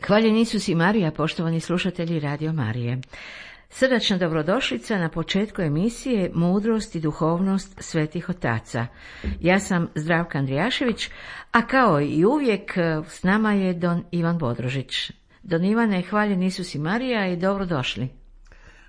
Hvaljen Isus i Marija, poštovani slušatelji Radio Marije. Srdačna dobrodošlica na početku emisije Mudrost i duhovnost svetih otaca. Ja sam Zdravka Andrijašević, a kao i uvijek s nama je Don Ivan Bodrožić. Don Ivane, hvaljen Isus i Marija i dobrodošli.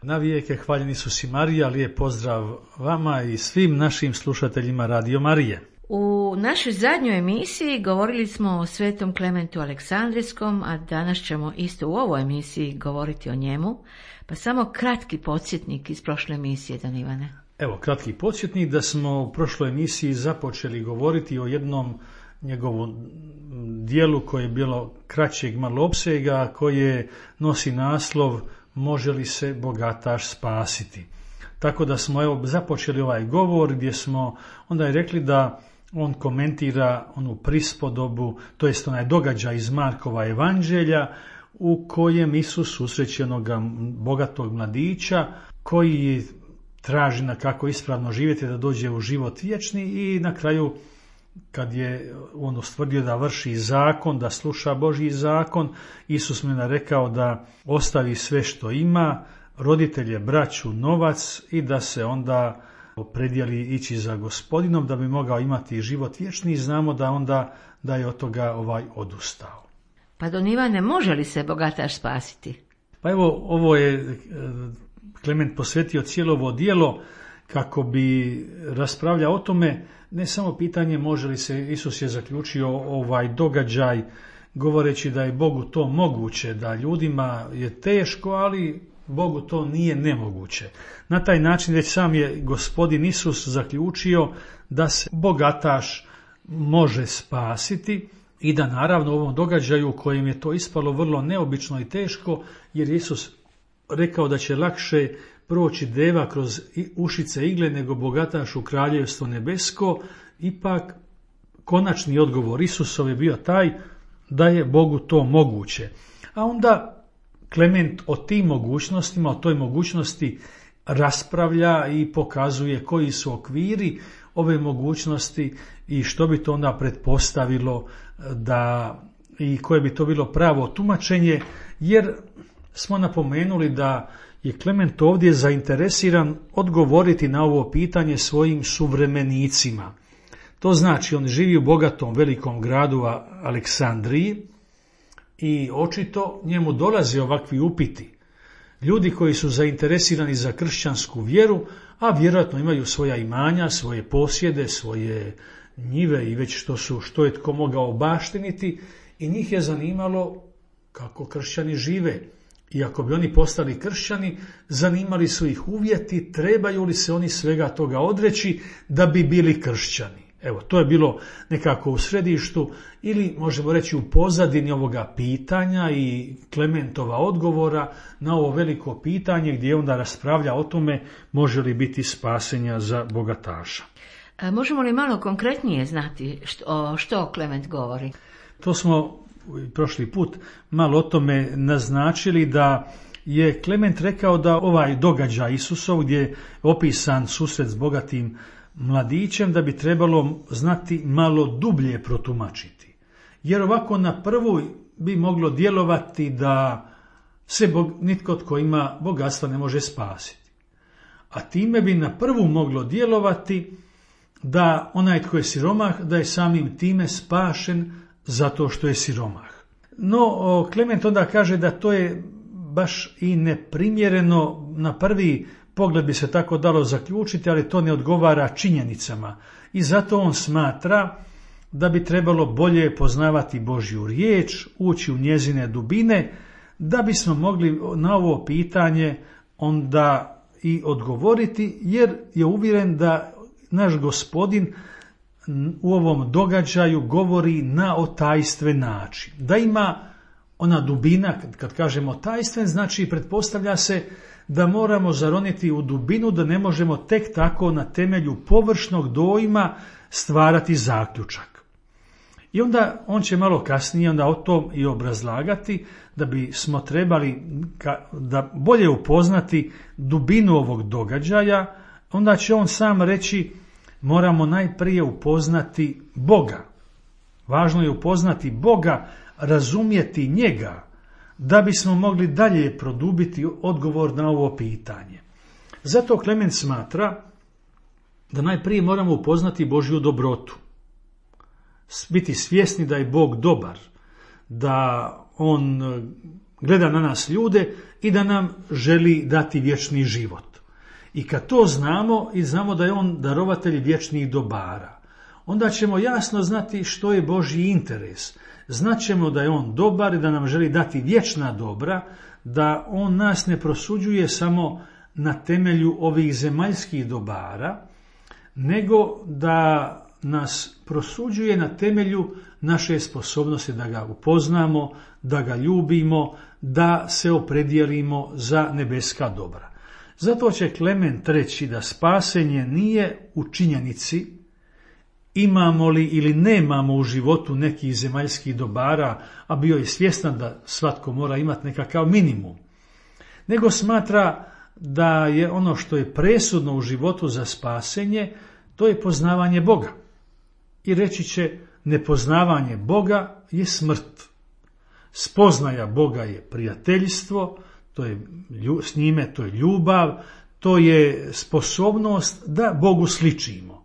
Navijek je hvaljen Isus i Marija, lijep pozdrav vama i svim našim slušateljima Radio Marije. U našoj zadnjoj emisiji govorili smo o svetom Klementu Aleksandrijskom, a danas ćemo isto u ovoj emisiji govoriti o njemu, pa samo kratki podsjetnik iz prošle emisije, Don Ivane. Evo, kratki podsjetnik da smo u prošloj emisiji započeli govoriti o jednom njegovom dijelu koje je bilo kraćeg malo opsega, koje nosi naslov Može li se bogataš spasiti? Tako da smo započeli ovaj govor gdje smo onda je rekli da on komentira onu prispodobu, to jest onaj događaj iz Markova evanđelja u kojem Isus susreće onoga bogatog mladića koji traži na kako ispravno živjeti da dođe u život vječni i na kraju kad je on ustvrdio da vrši zakon, da sluša Božji zakon, Isus mu je rekao da ostavi sve što ima, roditelje, braću, novac i da se onda opredijeli ići za Gospodinom da bi mogao imati život vječni i znamo da onda da je od toga odustao. Pa Don Ivane, može li se bogataš spasiti? Pa evo, ovo je Klement posvetio cijelo ovo djelo kako bi raspravljao o tome, ne samo pitanje može li se, Isus je zaključio ovaj događaj govoreći da je Bogu to moguće, da ljudima je teško, ali Bogu to nije nemoguće. Na taj način već sam je Gospodin Isus zaključio da se bogataš može spasiti i da naravno u ovom događaju u kojem je to ispalo vrlo neobično i teško, jer Isus rekao da će lakše proći deva kroz ušice igle nego bogataš u kraljevstvo nebesko, ipak konačni odgovor Isusov je bio taj da je Bogu to moguće. A onda Klement o tim mogućnostima, o toj mogućnosti raspravlja i pokazuje koji su okviri ove mogućnosti i što bi to onda pretpostavilo da i koje bi to bilo pravo tumačenje, jer smo napomenuli da je Klement ovdje zainteresiran odgovoriti na ovo pitanje svojim suvremenicima. To znači on živi u bogatom velikom gradu Aleksandriji i očito njemu dolaze ovakvi upiti. Ljudi koji su zainteresirani za kršćansku vjeru, a vjerojatno imaju svoja imanja, svoje posjede, svoje njive i već što je tko mogao baštiniti i njih je zanimalo kako kršćani žive. I ako bi oni postali kršćani, zanimali su ih uvjeti, trebaju li se oni svega toga odreći da bi bili kršćani. Evo, to je bilo nekako u središtu ili možemo reći u pozadini ovoga pitanja i Klementova odgovora na ovo veliko pitanje gdje onda raspravlja o tome može li biti spasenja za bogataša. Možemo li malo konkretnije znati što Klement govori? To smo prošli put malo o tome naznačili da je Klement rekao da ovaj događaj Isusov gdje je opisan susret s bogatim mladićem da bi trebalo znati malo dublje protumačiti. Jer ovako na prvu bi moglo djelovati da se nitko tko ima bogatstva ne može spasiti. A time bi na prvu moglo djelovati da onaj tko je siromah da je samim time spašen zato što je siromah. No, Klement onda kaže da to je baš i neprimjereno, na prvi pogled bi se tako dalo zaključiti, ali to ne odgovara činjenicama. I zato on smatra da bi trebalo bolje poznavati Božju riječ, ući u njezine dubine, da bismo mogli na ovo pitanje onda i odgovoriti, jer je uvjeren da naš Gospodin u ovom događaju govori na otajstven način. Da ima ona dubina, kad kažemo tajstven, znači pretpostavlja se da moramo zaroniti u dubinu, da ne možemo tek tako na temelju površnog dojma stvarati zaključak. I onda on će malo kasnije onda o tom i obrazlagati da bismo trebali da bolje upoznati dubinu ovog događaja, onda će on sam reći moramo najprije upoznati Boga. Važno je upoznati Boga, razumjeti njega, da bismo mogli dalje produbiti odgovor na ovo pitanje. Zato Klement smatra da najprije moramo upoznati Božju dobrotu, biti svjesni da je Bog dobar, da On gleda na nas ljude i da nam želi dati vječni život. I kad to znamo i znamo da je On darovatelj vječnih dobara, onda ćemo jasno znati što je Božji interes. Znaćemo da je On dobar i da nam želi dati vječna dobra, da On nas ne prosuđuje samo na temelju ovih zemaljskih dobara, nego da nas prosuđuje na temelju naše sposobnosti da ga upoznamo, da ga ljubimo, da se opredijelimo za nebeska dobra. Zato će Klement reći da spasenje nije u činjenici imamo li ili nemamo u životu nekih zemaljskih dobara, a bio je svjestan da svatko mora imati nekakav minimum, nego smatra da je ono što je presudno u životu za spasenje, to je poznavanje Boga. I reći će, nepoznavanje Boga je smrt. Spoznaja Boga je prijateljstvo, to je s njime, to je ljubav, to je sposobnost da Bogu sličimo.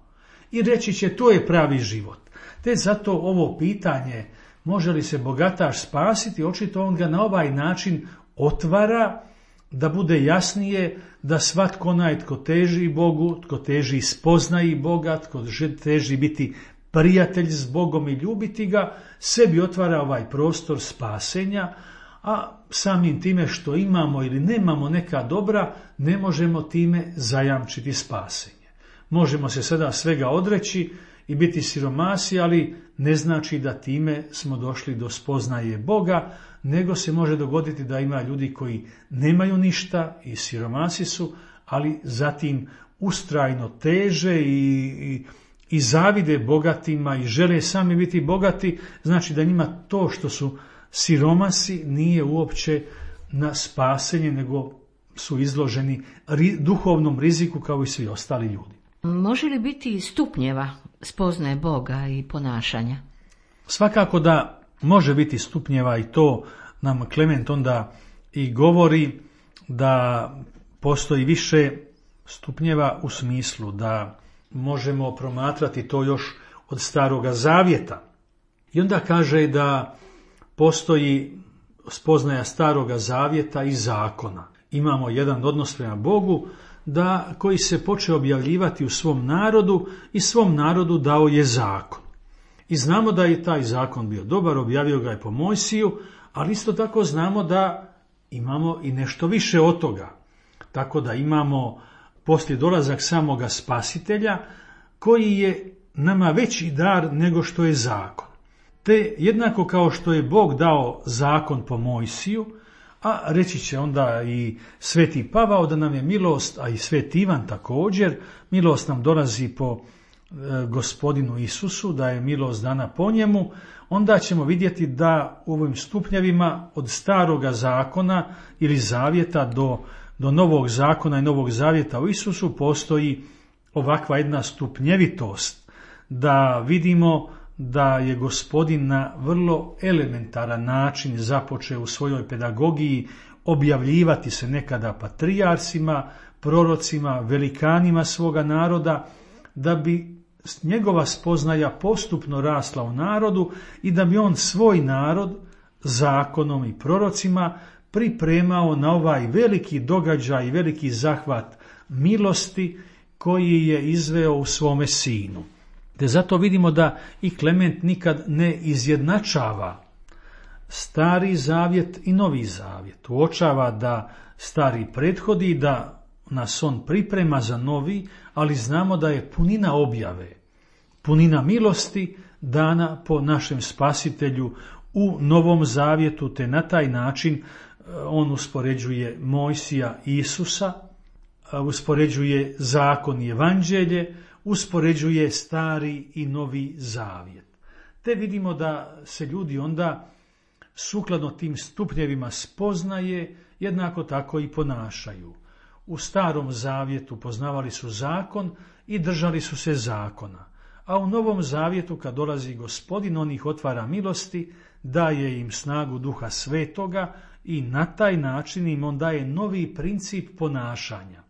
I reći će, to je pravi život. Te zato ovo pitanje, može li se bogataš spasiti, očito on ga na ovaj način otvara, da bude jasnije da svatko onaj tko teži Bogu, tko teži spoznaji Boga, tko teži biti prijatelj s Bogom i ljubiti ga, sebi otvara ovaj prostor spasenja, a samim time što imamo ili nemamo neka dobra, ne možemo time zajamčiti spasenje. Možemo se sada svega odreći i biti siromasi, ali ne znači da time smo došli do spoznaje Boga, nego se može dogoditi da ima ljudi koji nemaju ništa i siromasi su, ali zatim ustrajno teže i zavide bogatima i žele sami biti bogati, znači da njima to što su siromasi nije uopće na spasenje, nego su izloženi duhovnom riziku kao i svi ostali ljudi. Može li biti stupnjeva spoznaje Boga i ponašanja? Svakako da može biti stupnjeva i to nam Klement onda i govori da postoji više stupnjeva u smislu da možemo promatrati to još od Staroga Zavjeta. I onda kaže da postoji spoznaja Staroga Zavjeta i zakona. Imamo jedan odnos prema Bogu koji se počeo objavljivati u svom narodu i svom narodu dao je zakon. I znamo da je taj zakon bio dobar, objavio ga je po Mojsiju, ali isto tako znamo da imamo i nešto više od toga. Tako da imamo poslije dolazak samoga Spasitelja, koji je nama veći dar nego što je zakon. Te jednako kao što je Bog dao zakon po Mojsiju, a reći će onda i Sveti Pavao da nam je milost, a i Sveti Ivan također, milost nam dolazi po Gospodinu Isusu, da je milost dana po njemu, onda ćemo vidjeti da u ovim stupnjevima od Staroga zakona ili zavjeta do Novog zakona i Novog zavjeta u Isusu postoji ovakva jedna stupnjevitost, da vidimo da je Gospodin na vrlo elementaran način započeo u svojoj pedagogiji objavljivati se nekada patrijarsima, prorocima, velikanima svoga naroda, da bi njegova spoznaja postupno rasla u narodu i da bi on svoj narod zakonom i prorocima pripremao na ovaj veliki događaj, veliki zahvat milosti koji je izveo u svome sinu. Te zato vidimo da i Klement nikad ne izjednačava Stari zavjet i Novi zavjet. Uočava da stari prethodi, da nas on priprema za novi, ali znamo da je punina objave, punina milosti dana po našem Spasitelju u Novom zavjetu, te na taj način on uspoređuje Mojsija i Isusa, uspoređuje zakon i evanđelje, uspoređuje Stari i Novi zavjet. Te vidimo da se ljudi onda sukladno tim stupnjevima spoznaje, jednako tako i ponašaju. U Starom zavjetu poznavali su zakon i držali su se zakona, a u Novom zavjetu kad dolazi Gospodin, on ih otvara milosti, daje im snagu Duha Svetoga i na taj način im on daje novi princip ponašanja.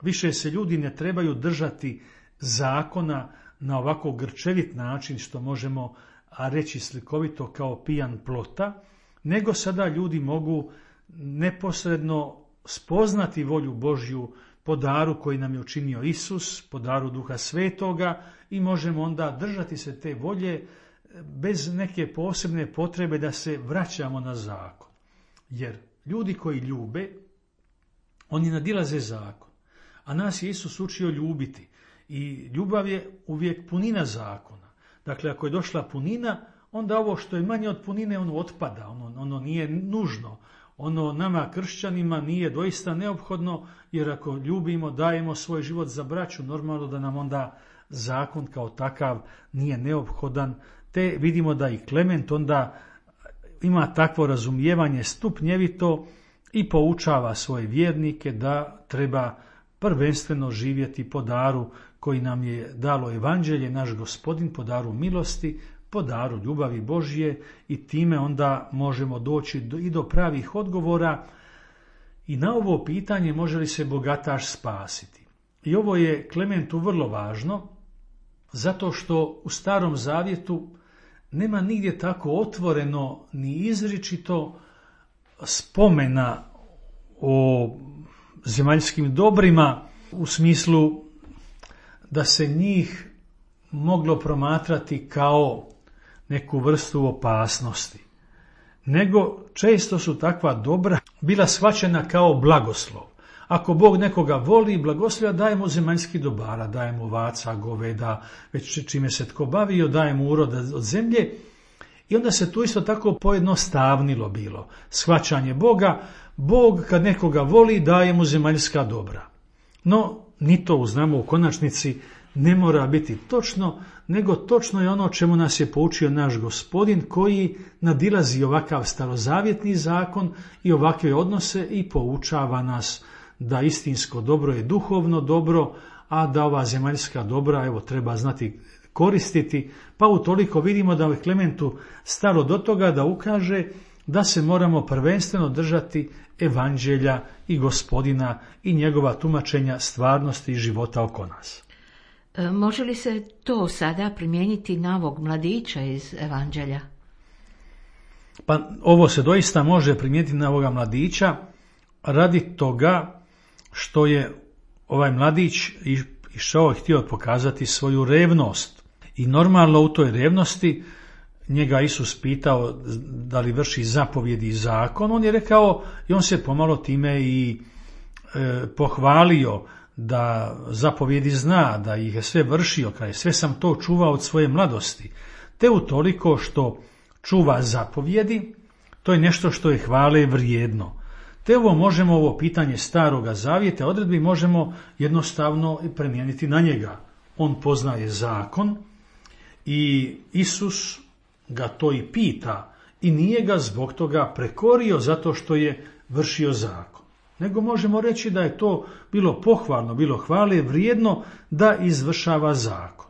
Više se ljudi ne trebaju držati zakona na ovako grčevit način, što možemo reći slikovito kao pijan plota, nego sada ljudi mogu neposredno spoznati volju Božju po daru koji nam je učinio Isus, po daru Duha Svetoga, i možemo onda držati se te volje bez neke posebne potrebe da se vraćamo na zakon. Jer ljudi koji ljube, oni nadilaze zakon, a nas je Isus učio ljubiti. I ljubav je uvijek punina zakona. Dakle, ako je došla punina, onda ovo što je manje od punine, ono otpada, ono nije nužno. Ono nama kršćanima nije doista neophodno, jer ako ljubimo, dajemo svoj život za braću, normalno da nam onda zakon kao takav nije neophodan. Te vidimo da i Klement onda ima takvo razumijevanje stupnjevito i poučava svoje vjernike da treba prvenstveno živjeti po daru koji nam je dalo evanđelje, naš Gospodin, po daru milosti, po daru ljubavi Božje, i time onda možemo doći i do pravih odgovora i na ovo pitanje može li se bogataš spasiti. I ovo je Klementu vrlo važno, zato što u Starom Zavjetu nema nigdje tako otvoreno ni izričito spomena o zemaljskim dobrima u smislu da se njih moglo promatrati kao neku vrstu opasnosti, nego često su takva dobra bila shvaćena kao blagoslov. Ako Bog nekoga voli i blagoslova, daje mu zemaljskih dobara, daje mu ovaca, goveda, već čime se tko bavio, daje mu uroda od zemlje. I onda se tu isto tako pojednostavnilo bilo shvaćanje Boga. Bog kad nekoga voli, daje mu zemaljska dobra. No, ni to znamo u konačnici ne mora biti točno, nego točno je ono čemu nas je poučio naš Gospodin, koji nadilazi ovakav starozavjetni zakon i ovakve odnose i poučava nas da istinsko dobro je duhovno dobro, a da ova zemaljska dobra treba znati koristiti. Pa utoliko vidimo da je Klementu stalo do toga da ukaže da se moramo prvenstveno držati evanđelja i Gospodina i njegova tumačenja stvarnosti i života oko nas. Može li se to sada primijeniti na ovog mladića iz evanđelja? Pa ovo se doista može primijeniti na ovoga mladića radi toga što je ovaj mladić išao i htio pokazati svoju revnost. I normalno u toj revnosti njega Isus pitao da li vrši zapovjedi i zakon. On je rekao i on se pomalo time i pohvalio da zapovjedi zna, da ih je sve vršio, kaže sve sam to čuvao od svoje mladosti. Te utoliko što čuva zapovjedi, to je nešto što je hvale vrijedno. Te ovo pitanje Staroga Zavjeta odredbi možemo jednostavno primijeniti na njega. On poznaje zakon i Isus ga to i pita i nije ga zbog toga prekorio zato što je vršio zakon. Nego možemo reći da je to bilo pohvalno, bilo hvale vrijedno da izvršava zakon.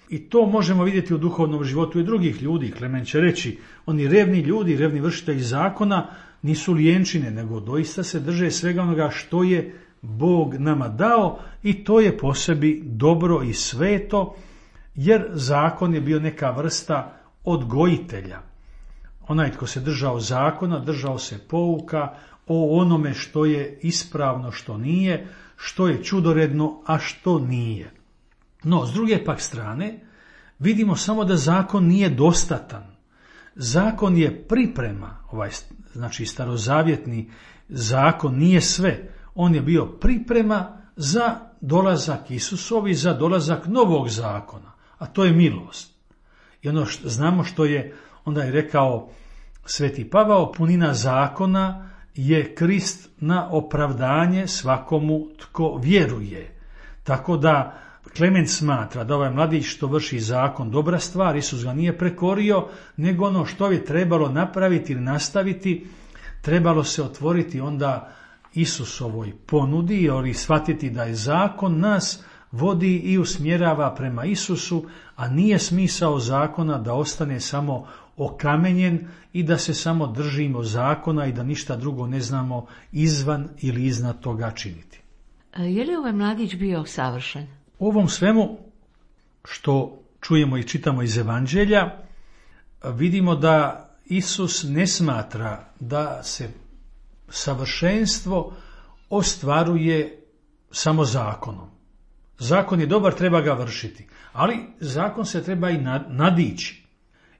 I to možemo vidjeti u duhovnom životu i drugih ljudi. Klement će reći, oni revni ljudi, revni vršitelji zakona nisu lijenčine, nego doista se drže svega onoga što je Bog nama dao i to je po sebi dobro i sveto, jer zakon je bio neka vrsta odgojitelja. Onaj tko se držao zakona, držao se pouka o onome što je ispravno, što nije, što je čudoredno, a što nije. No, s druge pak strane, vidimo samo da zakon nije dostatan. Zakon je priprema, znači starozavjetni zakon nije sve. On je bio priprema za dolazak Isusovi, za dolazak novog zakona, a to je milost. I znamo što je, onda je rekao Sveti Pavao, punina zakona je Krist na opravdanje svakomu tko vjeruje. Tako da Klement smatra da ovaj mladić što vrši zakon dobra stvar, Isus ga nije prekorio, nego ono što je trebalo napraviti ili nastaviti, trebalo se otvoriti onda Isusovoj ponudi, ili shvatiti da je zakon nas vodi i usmjerava prema Isusu, a nije smisao zakona da ostane samo okamenjen i da se samo držimo zakona i da ništa drugo ne znamo izvan ili iznad toga činiti. Je li ovaj mladić bio savršen? U ovom svemu što čujemo i čitamo iz Evanđelja, vidimo da Isus ne smatra da se savršenstvo ostvaruje samo zakonom. Zakon je dobar, treba ga vršiti, ali zakon se treba i nadići.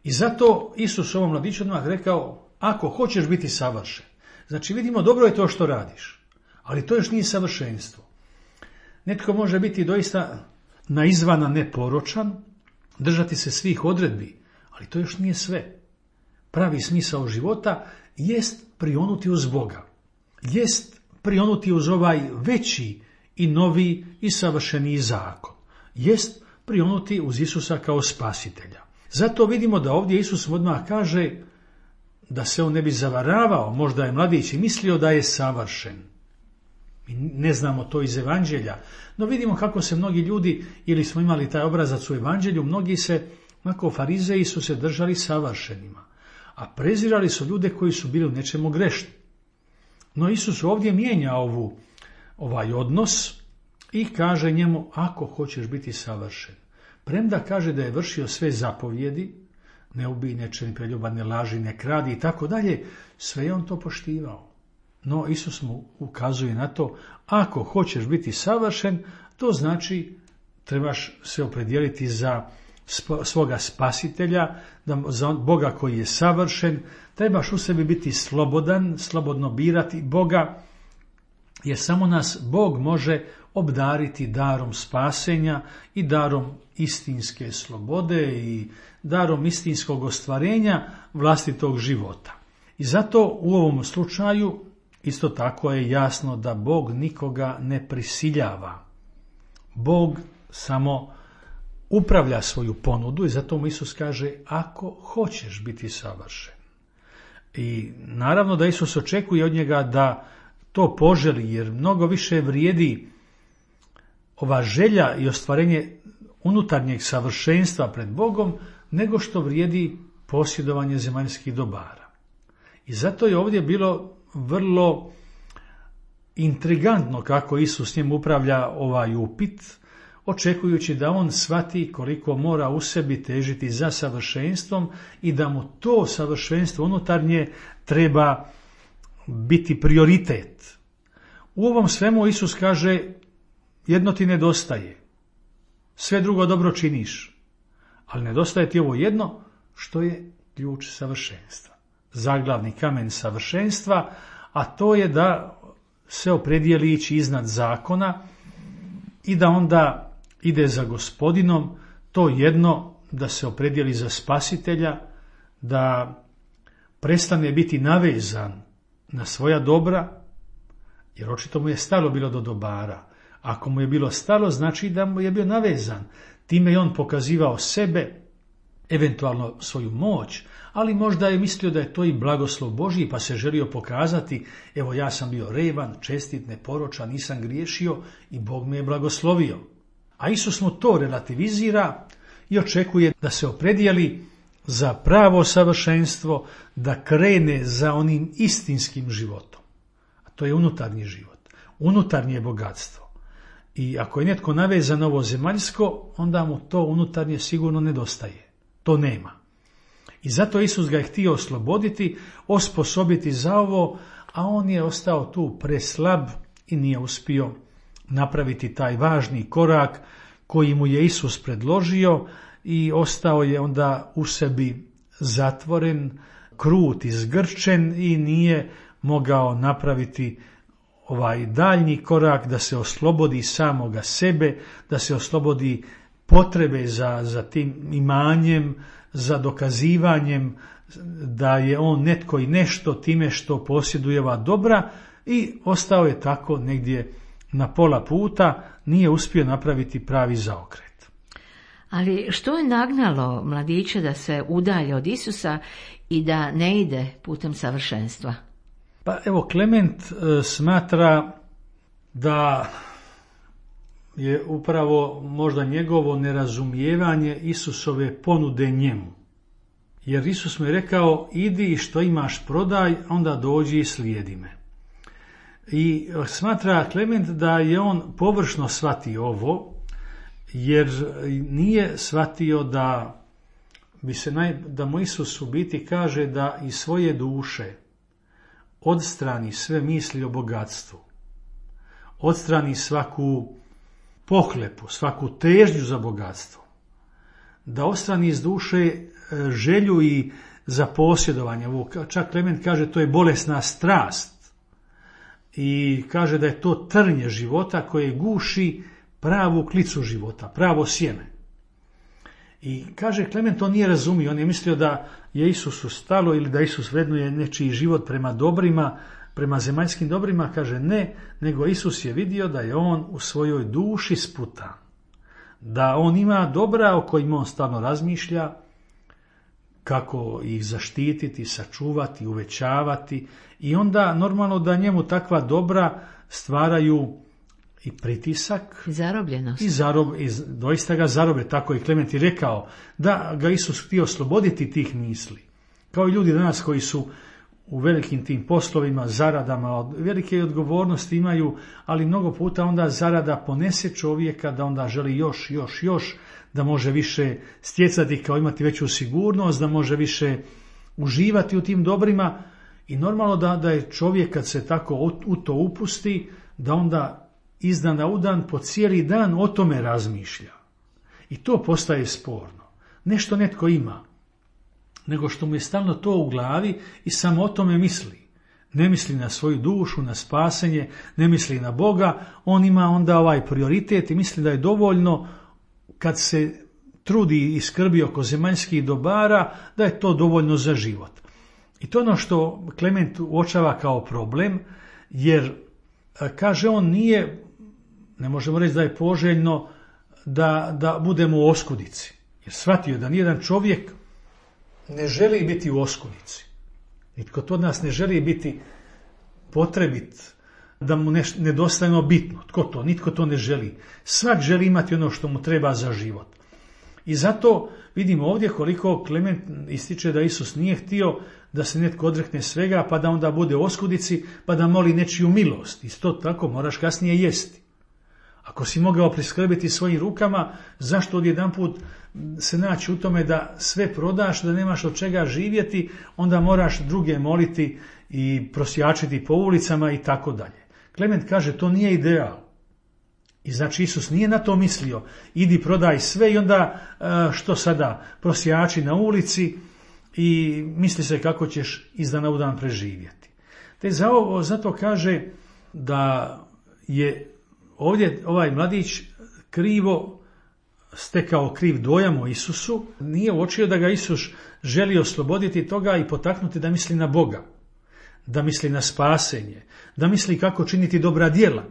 I zato Isus ovom mladiću odmah rekao, ako hoćeš biti savršen. Znači vidimo, dobro je to što radiš, ali to još nije savršenstvo. Netko može biti doista na izvana neporočan, držati se svih odredbi, ali to još nije sve. Pravi smisao života jest prionuti uz Boga, jest prionuti uz ovaj veći i novi i savršeniji zakon, jest prionuti uz Isusa kao spasitelja. Zato vidimo da ovdje Isus odmah kaže da se on ne bi zavaravao, možda je mladić i mislio da je savršen. Mi ne znamo to iz Evanđelja, no vidimo kako se mnogi ljudi, ili smo imali taj obrazac u Evanđelju, mnogi se, onako farizeji su se držali savršenima, a prezirali su ljude koji su bili u nečemu grešni. No Isus ovdje mijenja ovaj odnos i kaže njemu, ako hoćeš biti savršen. Premda kaže da je vršio sve zapovjedi, ne ubij, ne čini preljuban, ne laži, ne kradi i tako dalje, sve je on to poštivao. No Isus mu ukazuje na to, ako hoćeš biti savršen, to znači trebaš se opredijeliti za svoga spasitelja, za Boga koji je savršen, trebaš u sebi biti slobodan, slobodno birati Boga, jer samo nas Bog može obdariti darom spasenja i darom istinske slobode i darom istinskog ostvarenja vlastitog života. I zato u ovom slučaju isto tako je jasno da Bog nikoga ne prisiljava. Bog samo upravlja svoju ponudu i zato mu Isus kaže, ako hoćeš biti savršen. I naravno da Isus očekuje od njega da to poželi, jer mnogo više vrijedi ova želja i ostvarenje unutarnjeg savršenstva pred Bogom, nego što vrijedi posjedovanje zemaljskih dobara. I zato je ovdje bilo vrlo intrigantno kako Isus s njim upravlja ovaj upit, očekujući da on shvati koliko mora u sebi težiti za savršenstvom i da mu to savršenstvo unutarnje treba biti prioritet. U ovom svemu Isus kaže, jedno ti nedostaje, sve drugo dobro činiš, ali nedostaje ti ovo jedno što je ključ savršenstva, zaglavni kamen savršenstva, a to je da se opredijeli ići iznad zakona i da onda ide za Gospodinom, to jedno da se opredijeli za spasitelja, da prestane biti navezan na svoja dobra, jer očito mu je stalo bilo do dobara. Ako mu je bilo stalo, znači da mu je bio navezan. Time je on pokazivao sebe, eventualno svoju moć, ali možda je mislio da je to i blagoslov Božji, pa se želio pokazati, evo ja sam bio revan, čestit, neporočan, nisam griješio i Bog me je blagoslovio. A Isus mu to relativizira i očekuje da se opredijeli za pravo savršenstvo, da krene za onim istinskim životom. A to je unutarnji život, unutarnje bogatstvo. I ako je netko navezan ovo zemaljsko, onda mu to unutarnje sigurno nedostaje. To nema. I zato Isus ga je htio osloboditi, osposobiti za ovo, a on je ostao tu preslab i nije uspio napraviti taj važni korak koji mu je Isus predložio i ostao je onda u sebi zatvoren, krut i zgrčen i nije mogao napraviti ovaj daljnji korak da se oslobodi samoga sebe, da se oslobodi potrebe za tim imanjem, za dokazivanjem da je on netko i nešto time što posjeduje ova dobra i ostao je tako negdje na pola puta, nije uspio napraviti pravi zaokret. Ali što je nagnalo mladića da se udalje od Isusa i da ne ide putem savršenstva? Pa evo, Klement smatra da je upravo možda njegovo nerazumijevanje Isusove ponude njemu. Jer Isus mu je rekao, idi i što imaš prodaj, onda dođi i slijedi me. I smatra Klement da je on površno shvatio ovo, jer nije shvatio da mu Isus u biti kaže da iz svoje duše odstrani sve misli o bogatstvu, odstrani svaku pohlepu, svaku težnju za bogatstvo, da odstrani iz duše želju i za posjedovanje. Čak Klement kaže to je bolesna strast i kaže da je to trnje života koje guši pravu klicu života, pravo sjeme. I kaže Klement, on nije razumio, on je mislio da je Isusu stalo ili da Isus vrednuje nečiji život prema dobrima, prema zemaljskim dobrima. Kaže ne, nego Isus je vidio da je on u svojoj duši sputan, da on ima dobra o kojima on stalno razmišlja, kako ih zaštititi, sačuvati, uvećavati, i onda normalno da njemu takva dobra stvaraju i pritisak zarobljenost. I doista ga zarobe. Tako je Klement i rekao da ga Isus htio osloboditi tih misli. Kao i ljudi danas koji su u velikim tim poslovima, zaradama, velike odgovornosti imaju, ali mnogo puta onda zarada ponese čovjeka da onda želi još, da može više stjecati, kao imati veću sigurnost, da može više uživati u tim dobrima. I normalno da je čovjek kad se tako u to upusti, da onda iz dana u dan po cijeli dan o tome razmišlja. I to postaje sporno. Nešto netko ima, nego što mu je stalno to u glavi i samo o tome misli. Ne misli na svoju dušu, na spasenje, ne misli na Boga, on ima onda ovaj prioritet i misli da je dovoljno kad se trudi i skrbi oko zemaljskih dobara, da je to dovoljno za život. I to je ono što Klement uočava kao problem, jer kaže on ne možemo reći da je poželjno da budemo u oskudici. Jer shvatio da nijedan čovjek ne želi biti u oskudici. Nitko to od nas ne želi biti potrebit, da mu nedostajno bitno. Tko to? Nitko to ne želi. Svak želi imati ono što mu treba za život. I zato vidimo ovdje koliko Klement ističe da Isus nije htio da se netko odrekne svega, pa da onda bude u oskudici, pa da moli nečiju milost. Isto tako moraš kasnije jesti. Ako si mogao priskrbiti svojim rukama, zašto odjedanput se naći u tome da sve prodaš, da nemaš od čega živjeti, onda moraš druge moliti i prosjačiti po ulicama i tako dalje. Klement kaže to nije ideal. I znači Isus nije na to mislio. Idi prodaj sve i onda što sada prosjači na ulici i misli se kako ćeš iz dana u dan preživjeti. Te zato kaže da je ovdje ovaj mladić krivo stekao kriv dojam o Isusu, nije uočio da ga Isus želi osloboditi toga i potaknuti da misli na Boga, da misli na spasenje, da misli kako činiti dobra djela.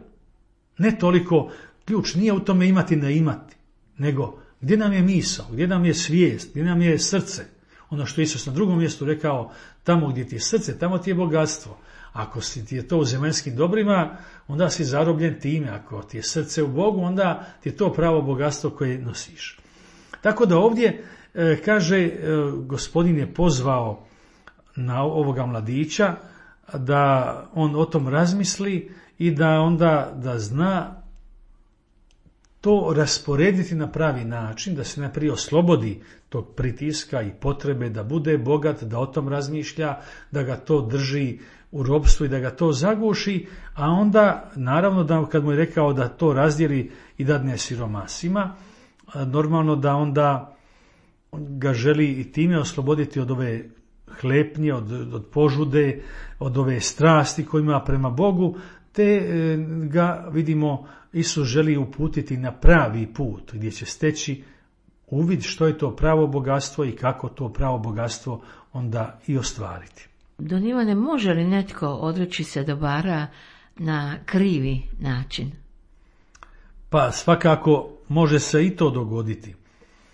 Ne toliko, ključ nije u tome imati ne imati, nego gdje nam je misao, gdje nam je svijest, gdje nam je srce. Ono što Isus na drugom mjestu rekao, tamo gdje ti je srce, tamo ti je bogatstvo. Ako ti je to u zemaljskim dobrima, onda si zarobljen time. Ako ti je srce u Bogu, onda ti je to pravo bogatstvo koje nosiš. Tako da ovdje kaže, Gospodin je pozvao na ovoga mladića da on o tom razmisli i da onda da zna to rasporediti na pravi način, da se najprije oslobodi tog pritiska i potrebe da bude bogat, da o tom razmišlja, da ga to drži u ropstvu i da ga to zaguši, a onda naravno da kad mu je rekao da to razdijeli i dadne siromasima, normalno da onda ga želi i time osloboditi od ove hlepnje, od požude, od ove strasti koju ima prema Bogu, te ga vidimo Isus želi uputiti na pravi put gdje će steći uvid što je to pravo bogatstvo i kako to pravo bogatstvo onda i ostvariti. Don Ivane, može li netko odreći se dobara na krivi način? Pa svakako može se i to dogoditi,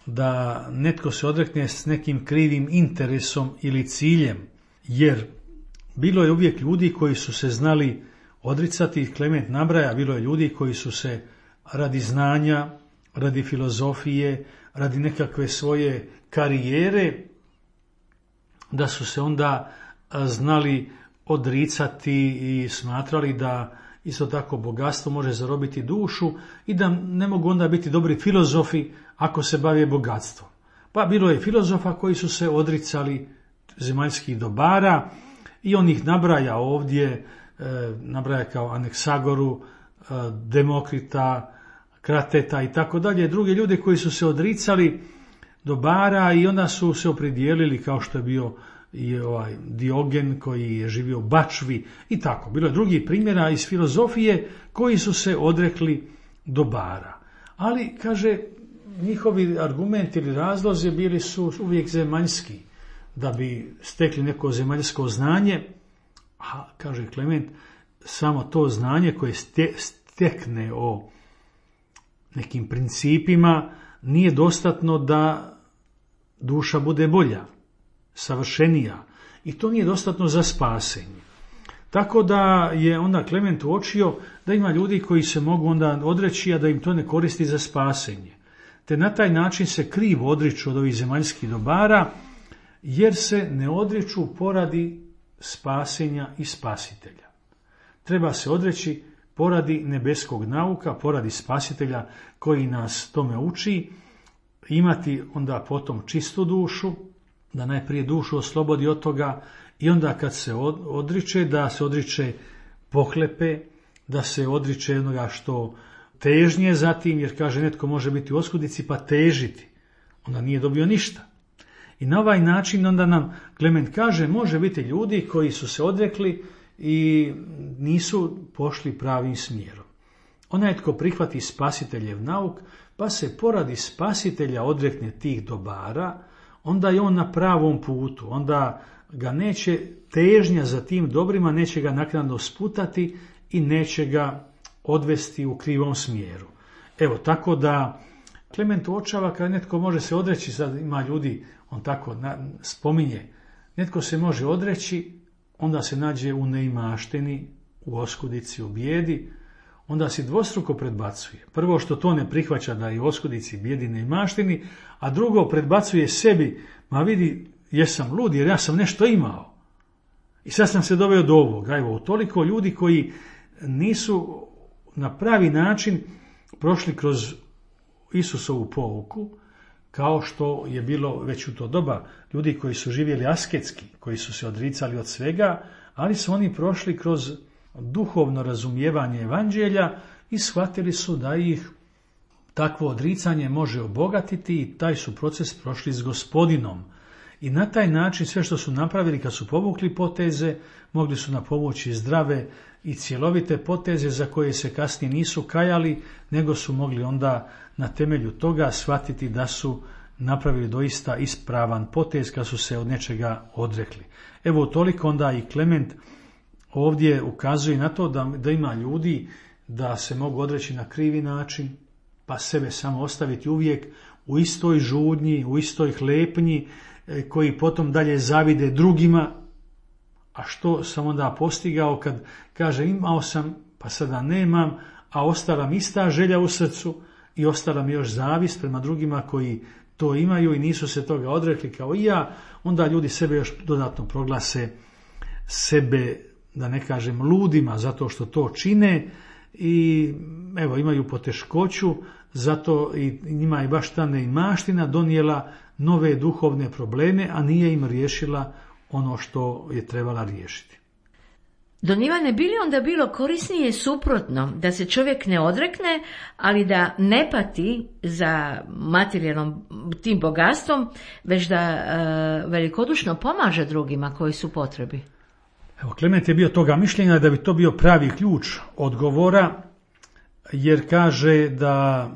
da netko se odrekne s nekim krivim interesom ili ciljem, jer bilo je uvijek ljudi koji su se znali odricati, Klement nabraja, bilo je ljudi koji su se radi znanja, radi filozofije, radi nekakve svoje karijere, da su se onda znali odricati i smatrali da isto tako bogatstvo može zarobiti dušu i da ne mogu onda biti dobri filozofi ako se bave bogatstvom. Pa bilo je filozofa koji su se odricali zemaljskih dobara i on ih nabraja ovdje, nabraja kao Aneksagoru, Demokrita, Krateta i tako dalje, druge ljude koji su se odricali dobara i onda su se opredijelili, kao što je bio i Diogen koji je živio u bačvi i tako. Bilo je drugih primjera iz filozofije koji su se odrekli dobara. Ali, kaže, njihovi argumenti ili razlozi bili su uvijek zemaljski, da bi stekli neko zemaljsko znanje, a, kaže Klement, samo to znanje koje stekne o nekim principima nije dostatno da duša bude bolja, savršenija, i to nije dostatno za spasenje. Tako da je onda Klement uočio da ima ljudi koji se mogu onda odreći, a da im to ne koristi za spasenje. Te na taj način se krivo odriču od ovih zemaljskih dobara, jer se ne odriču poradi spasenja i spasitelja. Treba se odreći poradi nebeskog nauka, poradi spasitelja koji nas tome uči, imati onda potom čistu dušu, da najprije dušu oslobodi od toga i onda kad se odriče, da se odriče pohlepe, da se odriče onoga što težnje za tim, jer kaže netko može biti u oskudici pa težiti, onda nije dobio ništa. I na ovaj način onda nam Klement kaže, može biti ljudi koji su se odrekli i nisu pošli pravim smjerom. Onaj tko prihvati spasiteljev nauk, pa se poradi spasitelja odrekne tih dobara, onda je on na pravom putu, onda ga neće težnja za tim dobrima, neće ga naknadno sputati i neće ga odvesti u krivom smjeru. Evo, tako da Klement uočava kada netko može se odreći, sad ima ljudi, on tako spominje, netko se može odreći, onda se nađe u neimaštini, u oskudici, u bijedi, onda si dvostruko predbacuje. Prvo što to ne prihvaća da je u oskudici, bijedi, neimaštini, a drugo predbacuje sebi, ma vidi, jesam lud jer ja sam nešto imao. I sad sam se doveo do ovoga. Evo, toliko ljudi koji nisu na pravi način prošli kroz Isusovu pouku, kao što je bilo već u to doba ljudi koji su živjeli asketski, koji su se odricali od svega, ali su oni prošli kroz duhovno razumijevanje evanđelja i shvatili su da ih takvo odricanje može obogatiti i taj su proces prošli s Gospodinom. I na taj način sve što su napravili kad su povukli poteze, mogli su napovući zdrave i cjelovite poteze za koje se kasnije nisu kajali, nego su mogli onda na temelju toga shvatiti da su napravili doista ispravan potez kad su se od nečega odrekli. Evo toliko onda i Klement ovdje ukazuje na to da ima ljudi da se mogu odreći na krivi način, pa sebe samo ostaviti uvijek u istoj žudnji, u istoj hlepnji, koji potom dalje zavide drugima. A što sam onda postigao kad kaže imao sam, pa sada nemam, a ostala mi ista želja u srcu i ostala mi još zavist prema drugima koji to imaju i nisu se toga odrekli kao i ja, onda ljudi sebe još dodatno proglase sebe, da ne kažem ludima, zato što to čine i evo imaju poteškoću, zato i njima je baš ta neimaština donijela nove duhovne probleme, a nije im riješila ono što je trebala riješiti. Don Ivane, bi li onda bilo korisnije suprotno, da se čovjek ne odrekne, ali da ne pati za materijalnom tim bogatstvom, već da velikodušno pomaže drugima koji su potrebi? Evo, Klement je bio toga mišljenja da bi to bio pravi ključ odgovora, jer kaže da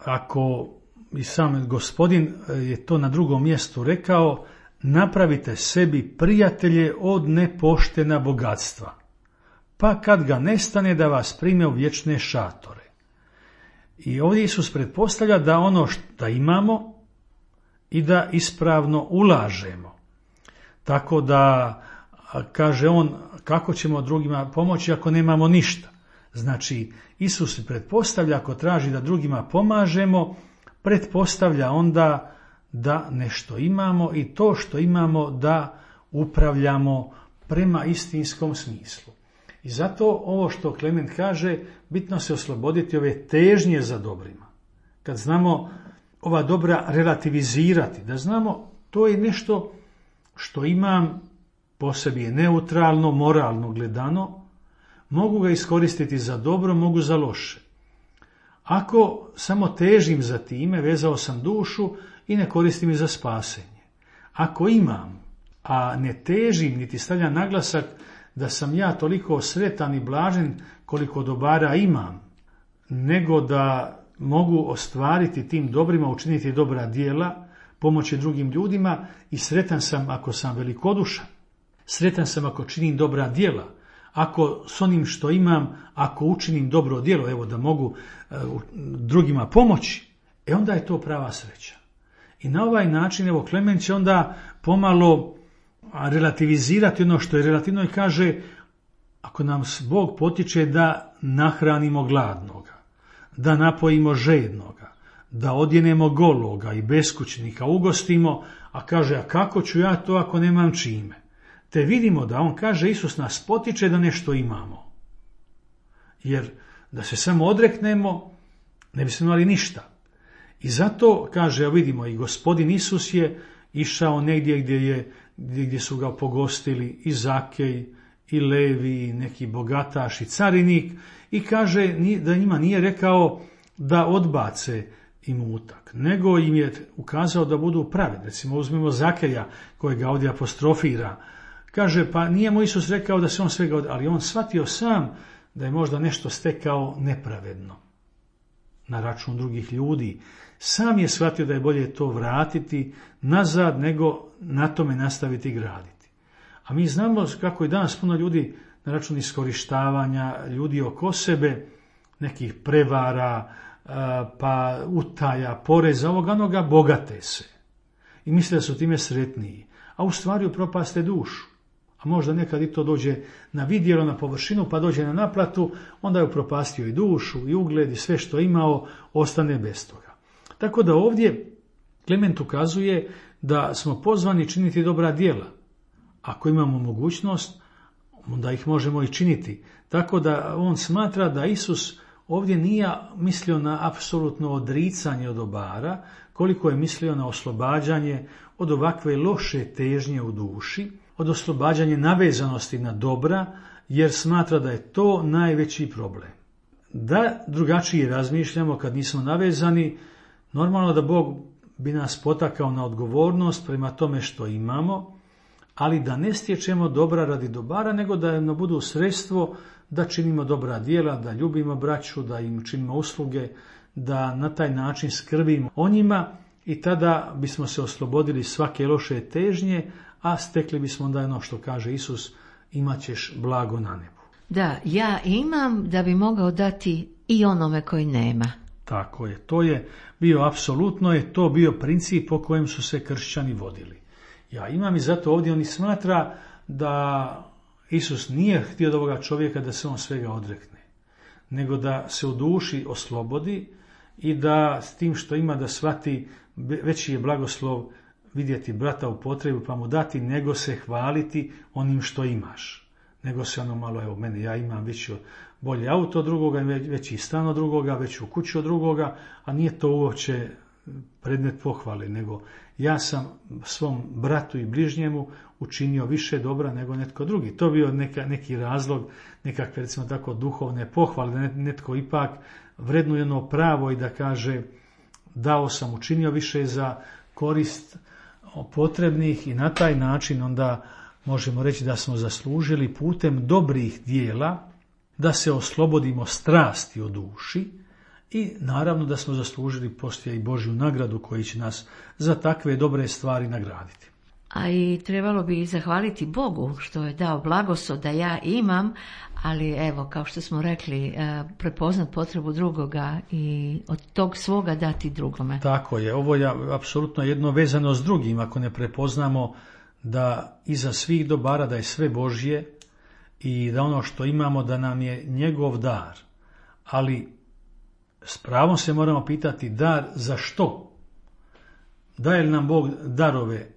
ako i sam Gospodin je to na drugom mjestu rekao, napravite sebi prijatelje od nepoštena bogatstva, pa kad ga nestane da vas prime u vječne šatore. I ovdje Isus pretpostavlja da ono što imamo i da ispravno ulažemo. Tako da, kaže on, kako ćemo drugima pomoći ako nemamo ništa? Znači, Isus pretpostavlja, ako traži da drugima pomažemo, pretpostavlja onda da nešto imamo i to što imamo da upravljamo prema istinskom smislu. I zato ovo što Klement kaže, bitno se osloboditi ove težnje za dobrima. Kad znamo ova dobra relativizirati, da znamo to je nešto što imam, po sebi je neutralno, moralno gledano, mogu ga iskoristiti za dobro, mogu za loše. Ako samo težim za time, vezao sam dušu i ne koristim je za spasenje. Ako imam, a ne težim niti stavljam naglasak da sam ja toliko sretan i blažen koliko dobara imam, nego da mogu ostvariti tim dobrima, učiniti dobra djela, pomoći drugim ljudima i sretan sam ako sam velikodušan. Sretan sam ako činim dobra djela, ako s onim što imam, ako učinim dobro djelo, evo da mogu drugima pomoći, onda je to prava sreća. I na ovaj način, evo, Klement će onda pomalo relativizirati ono što je relativno i kaže, ako nam Bog potiče da nahranimo gladnoga, da napojimo žednoga, da odjenemo gologa i beskućnika ugostimo, a kaže, a kako ću ja to ako nemam čime? Te vidimo da on kaže, Isus nas potiče da nešto imamo. Jer da se samo odreknemo, ne bismo imali ništa. I zato, kaže, vidimo, i Gospodin Isus je išao negdje gdje su ga pogostili i Zakej, i Levi, i neki bogataš, i carinik, i kaže da njima nije rekao da odbace imutak, nego im je ukazao da budu pravedni. Recimo, uzmemo Zakeja, kojega ovdje apostrofira. Kaže, pa nije mu Isus rekao da se on svega ali on shvatio sam da je možda nešto stekao nepravedno na račun drugih ljudi. Sam je shvatio da je bolje to vratiti nazad nego na tome nastaviti graditi. A mi znamo kako je danas puno ljudi na račun iskorištavanja ljudi oko sebe, nekih prevara, pa utaja, poreza, ovoga onoga, bogate se. I misle da su time sretniji. A u stvari upropaste dušu. A možda nekad i to dođe na vidjelo, na površinu, pa dođe na naplatu, onda je upropastio i dušu, i ugled, i sve što imao, ostane bez toga. Tako da ovdje Klement ukazuje da smo pozvani činiti dobra djela. Ako imamo mogućnost, onda ih možemo i činiti. Tako da on smatra da Isus ovdje nije mislio na apsolutno odricanje od dobara, koliko je mislio na oslobađanje od ovakve loše težnje u duši, od oslobađanja navezanosti na dobra, jer smatra da je to najveći problem. Da drugačije razmišljamo kad nismo navezani, normalno da Bog bi nas potakao na odgovornost prema tome što imamo, ali da ne stječemo dobra radi dobara, nego da nam budu sredstvo da činimo dobra djela, da ljubimo braću, da im činimo usluge, da na taj način skrbimo o njima i tada bismo se oslobodili svake loše težnje, a stekli bismo onda ono što kaže Isus, imat ćeš blago na nebu. Da, ja imam da bi mogao dati i onome koji nema. Tako je, to je bio, apsolutno je to bio princip po kojem su se kršćani vodili. Ja imam i zato ovdje oni smatra da Isus nije htio od ovoga čovjeka da se on svega odrekne, nego da se u duši oslobodi i da s tim što ima da shvati veći je blagoslov vidjeti brata u potrebu pa mu dati, nego se hvaliti onim što imaš. Nego se ono malo, evo mene, ja imam veći bolje auto od drugoga, veći stan od drugoga, veću kuću od drugoga, a nije to uopće predmet pohvale, nego ja sam svom bratu i bližnjemu učinio više dobra nego netko drugi. To bio neki razlog, nekakve recimo tako duhovne pohvale, da netko ipak vrednuje ono pravo i da kaže dao sam, učinio više za korist potrebnih i na taj način onda možemo reći da smo zaslužili putem dobrih dijela da se oslobodimo strasti u duši i naravno da smo zaslužili poslije i Božju nagradu koji će nas za takve dobre stvari nagraditi. A i trebalo bi zahvaliti Bogu što je dao blagoslov da ja imam, ali evo, kao što smo rekli, prepoznat potrebu drugoga i od tog svoga dati drugome. Tako je, ovo je apsolutno jedno vezano s drugim, ako ne prepoznamo da iza svih dobara da je sve Božje i da ono što imamo da nam je njegov dar. ali s pravom se moramo pitati dar za što? Daje li nam Bog darove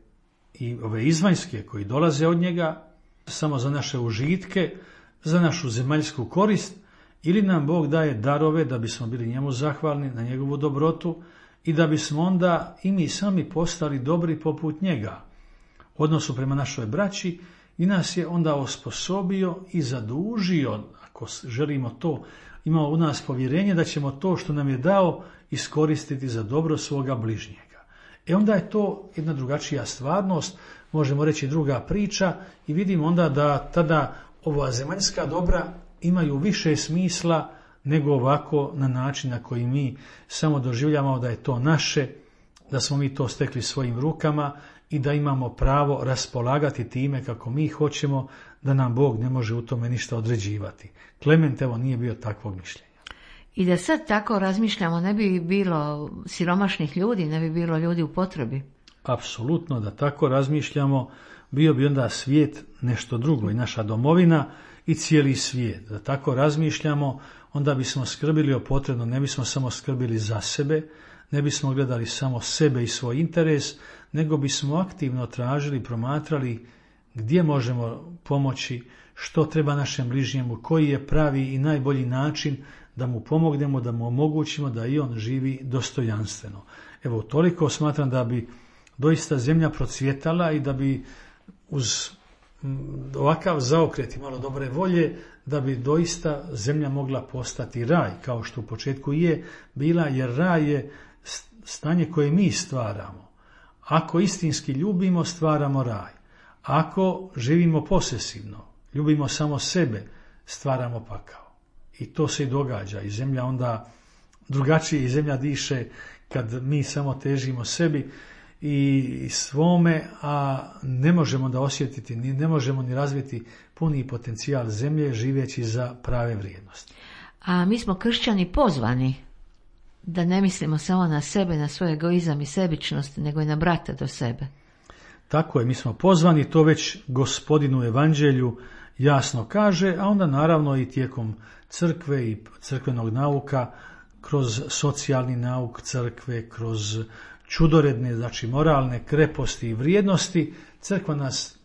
i ove izvanjske koji dolaze od njega samo za naše užitke, za našu zemaljsku korist, ili nam Bog daje darove da bismo bili njemu zahvalni na njegovu dobrotu i da bismo onda i mi sami postali dobri poput njega u odnosu prema našoj braći i nas je onda osposobio i zadužio, ako želimo to, imao u nas povjerenje da ćemo to što nam je dao iskoristiti za dobro svoga bližnjega. Onda je to jedna drugačija stvarnost, možemo reći druga priča, i vidimo onda da tada ova zemaljska dobra imaju više smisla nego ovako na način na koji mi samo doživljavamo da je to naše, da smo mi to stekli svojim rukama i da imamo pravo raspolagati time kako mi hoćemo, da nam Bog ne može u tome ništa određivati. Klement evo nije bio takvog mišljenja. I da sad tako razmišljamo, ne bi bilo siromašnih ljudi, ne bi bilo ljudi u potrebi. Apsolutno, da tako razmišljamo, bio bi onda svijet nešto drugo i naša domovina i cijeli svijet. Da tako razmišljamo, onda bismo skrbili o potrebno, ne bismo samo skrbili za sebe, ne bismo gledali samo sebe i svoj interes, nego bismo aktivno tražili, promatrali gdje možemo pomoći, što treba našem bližnjemu, koji je pravi i najbolji način da mu pomognemo, da mu omogućimo da i on živi dostojanstveno. Evo, toliko smatram da bi doista zemlja procvjetala i da bi uz ovakav zaokret i malo dobre volje, da bi doista zemlja mogla postati raj, kao što u početku je bila, jer raj je stanje koje mi stvaramo. Ako istinski ljubimo, stvaramo raj. Ako živimo posesivno, ljubimo samo sebe, stvaramo pakao. I to se i događa. I zemlja onda drugačije, i zemlja diše kad mi samo težimo sebi i svome, a ne možemo da osjetiti, ne možemo ni razviti puni potencijal zemlje živeći za prave vrijednosti. A mi smo kršćani pozvani da ne mislimo samo na sebe, na svoj egoizam i sebičnost, nego i na brata do sebe. Tako je, mi smo pozvani, to već Gospodin u Evanđelju jasno kaže, a onda naravno i tijekom crkve i crkvenog nauka, kroz socijalni nauk crkve, kroz čudoredne, znači moralne kreposti i vrijednosti, crkva nas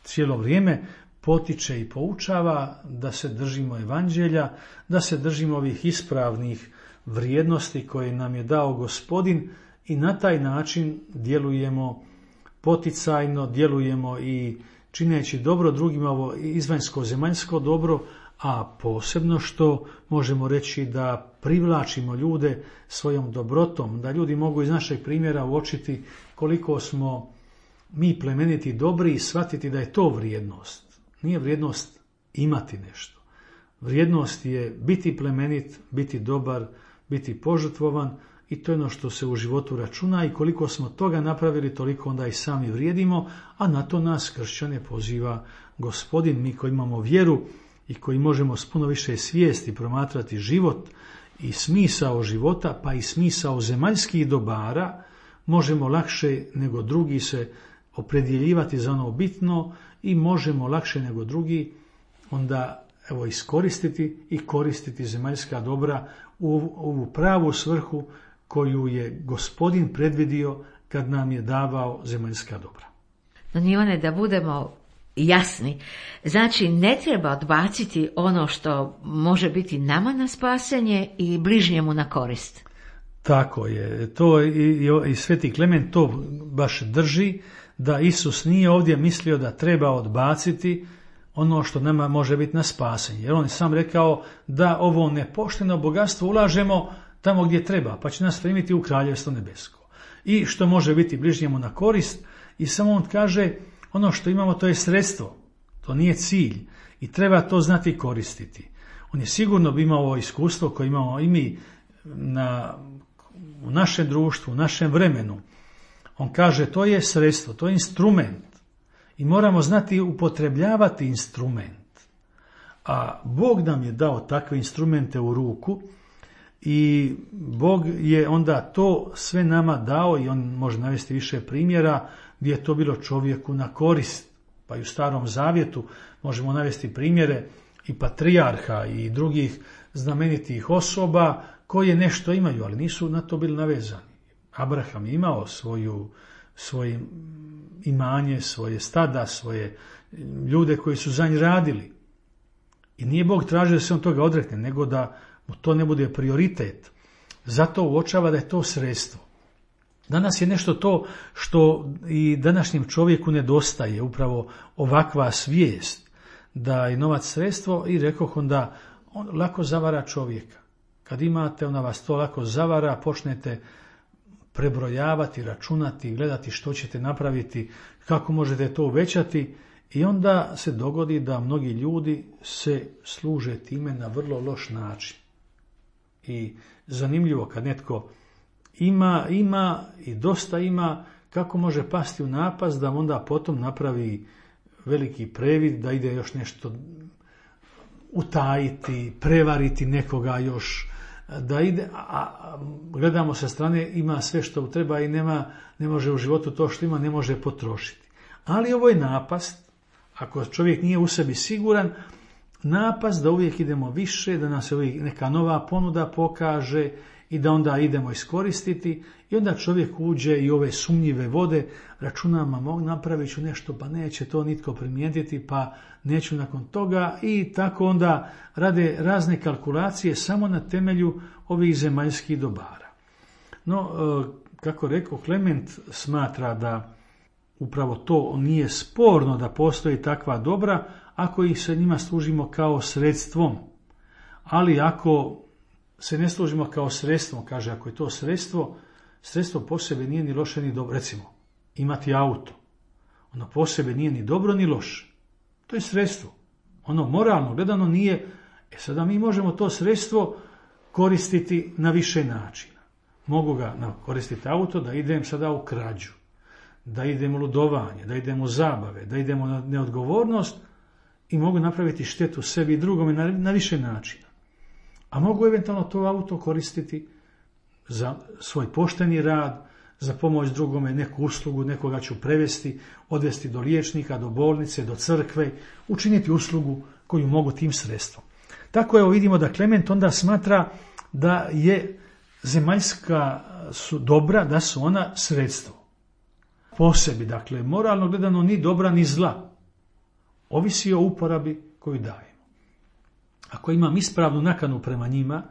cijelo vrijeme potiče i poučava da se držimo Evanđelja, da se držimo ovih ispravnih vrijednosti koje nam je dao Gospodin i na taj način djelujemo poticajno, djelujemo i čineći dobro drugima, ovo izvanjsko zemaljsko dobro, a posebno što možemo reći da privlačimo ljude svojom dobrotom, da ljudi mogu iz našeg primjera uočiti koliko smo mi plemeniti i dobri i shvatiti da je to vrijednost. Nije vrijednost imati nešto. Vrijednost je biti plemenit, biti dobar, biti požrtvovan, i to je ono što se u životu računa, i koliko smo toga napravili, toliko onda i sami vrijedimo, a na to nas kršćane poziva Gospodin. Mi koji imamo vjeru i koji možemo s puno više svijesti promatrati život i smisao života, pa i smisao zemaljskih dobara, možemo lakše nego drugi se opredjeljivati za ono bitno i možemo lakše nego drugi onda iskoristiti i koristiti zemaljska dobra u ovu pravu svrhu koju je Gospodin predvidio kad nam je davao zemaljska dobra. No, Ivane, da budemo jasni, znači ne treba odbaciti ono što može biti nama na spasenje i bližnjemu na korist. Tako je, to i Sveti Klement to baš drži, da Isus nije ovdje mislio da treba odbaciti ono što nama može biti na spasenje. Jer on je sam rekao da ovo nepošteno bogatstvo ulažemo tamo gdje treba, pa će nas primiti u kraljevstvo nebesko. I što može biti bližnjemu na korist, i samo on kaže ono što imamo to je sredstvo, to nije cilj i treba to znati koristiti. On je sigurno bi imao ovo iskustvo koje imamo i mi u našem društvu, u našem vremenu. On kaže to je sredstvo, to je instrument i moramo znati upotrebljavati instrument. A Bog nam je dao takve instrumente u ruku i Bog je onda to sve nama dao, i on može navesti više primjera gdje je to bilo čovjeku na korist. Pa i u Starom Zavjetu možemo navesti primjere i patrijarha i drugih znamenitih osoba koje nešto imaju, ali nisu na to bili navezani. Abraham je imao svoje imanje, svoje stada, svoje ljude koji su za njih radili. I nije Bog tražio da se on toga odrekne, nego da mu to ne bude prioritet. Zato uočava da je to sredstvo. Danas je nešto to što i današnjem čovjeku nedostaje, upravo ovakva svijest da je novac sredstvo i rekoh onda on lako zavara čovjeka. Kad imate, ona vas to lako zavara, počnete prebrojavati, računati, gledati što ćete napraviti, kako možete to uvećati i onda se dogodi da mnogi ljudi se služe time na vrlo loš način. I zanimljivo kad netko ima i dosta ima, kako može pasti u napast da onda potom napravi veliki previd, da ide još nešto utajiti, prevariti nekoga još, da ide, a gledamo sa strane, ima sve što treba i ne može u životu to što ima, ne može potrošiti. Ali ovo je napast, ako čovjek nije u sebi siguran, napast da uvijek idemo više, da nam se uvijek neka nova ponuda pokaže i da onda idemo iskoristiti i onda čovjek uđe i ove sumnjive vode, računama napravit ću nešto pa neće to nitko primijetiti pa neću nakon toga i tako onda rade razne kalkulacije samo na temelju ovih zemaljskih dobara. No, kako rekao, Klement smatra da upravo to nije sporno da postoji takva dobra ako ih se njima služimo kao sredstvom. Ali ako se ne služimo kao sredstvom, kaže, ako je to sredstvo po sebi nije ni loše ni dobro. Recimo, imati auto, ono po sebi nije ni dobro ni loše. To je sredstvo. Ono moralno gledano nije. Sada mi možemo to sredstvo koristiti na više načina. Mogu ga koristiti auto da idem sada u krađu, da idem u ludovanje, da idem u zabave, da idem u neodgovornost i mogu napraviti štetu sebi i drugome na više načina. A mogu eventualno to auto koristiti za svoj pošteni rad, za pomoć drugome, neku uslugu, nekoga ću prevesti, odvesti do liječnika, do bolnice, do crkve, učiniti uslugu koju mogu tim sredstvom. Tako evo vidimo da Klement onda smatra da je zemaljska su dobra, da su ona sredstvo. Po sebi, dakle, moralno gledano ni dobra ni zla. Ovisi o uporabi koju dajemo. Ako imam ispravnu nakanu prema njima,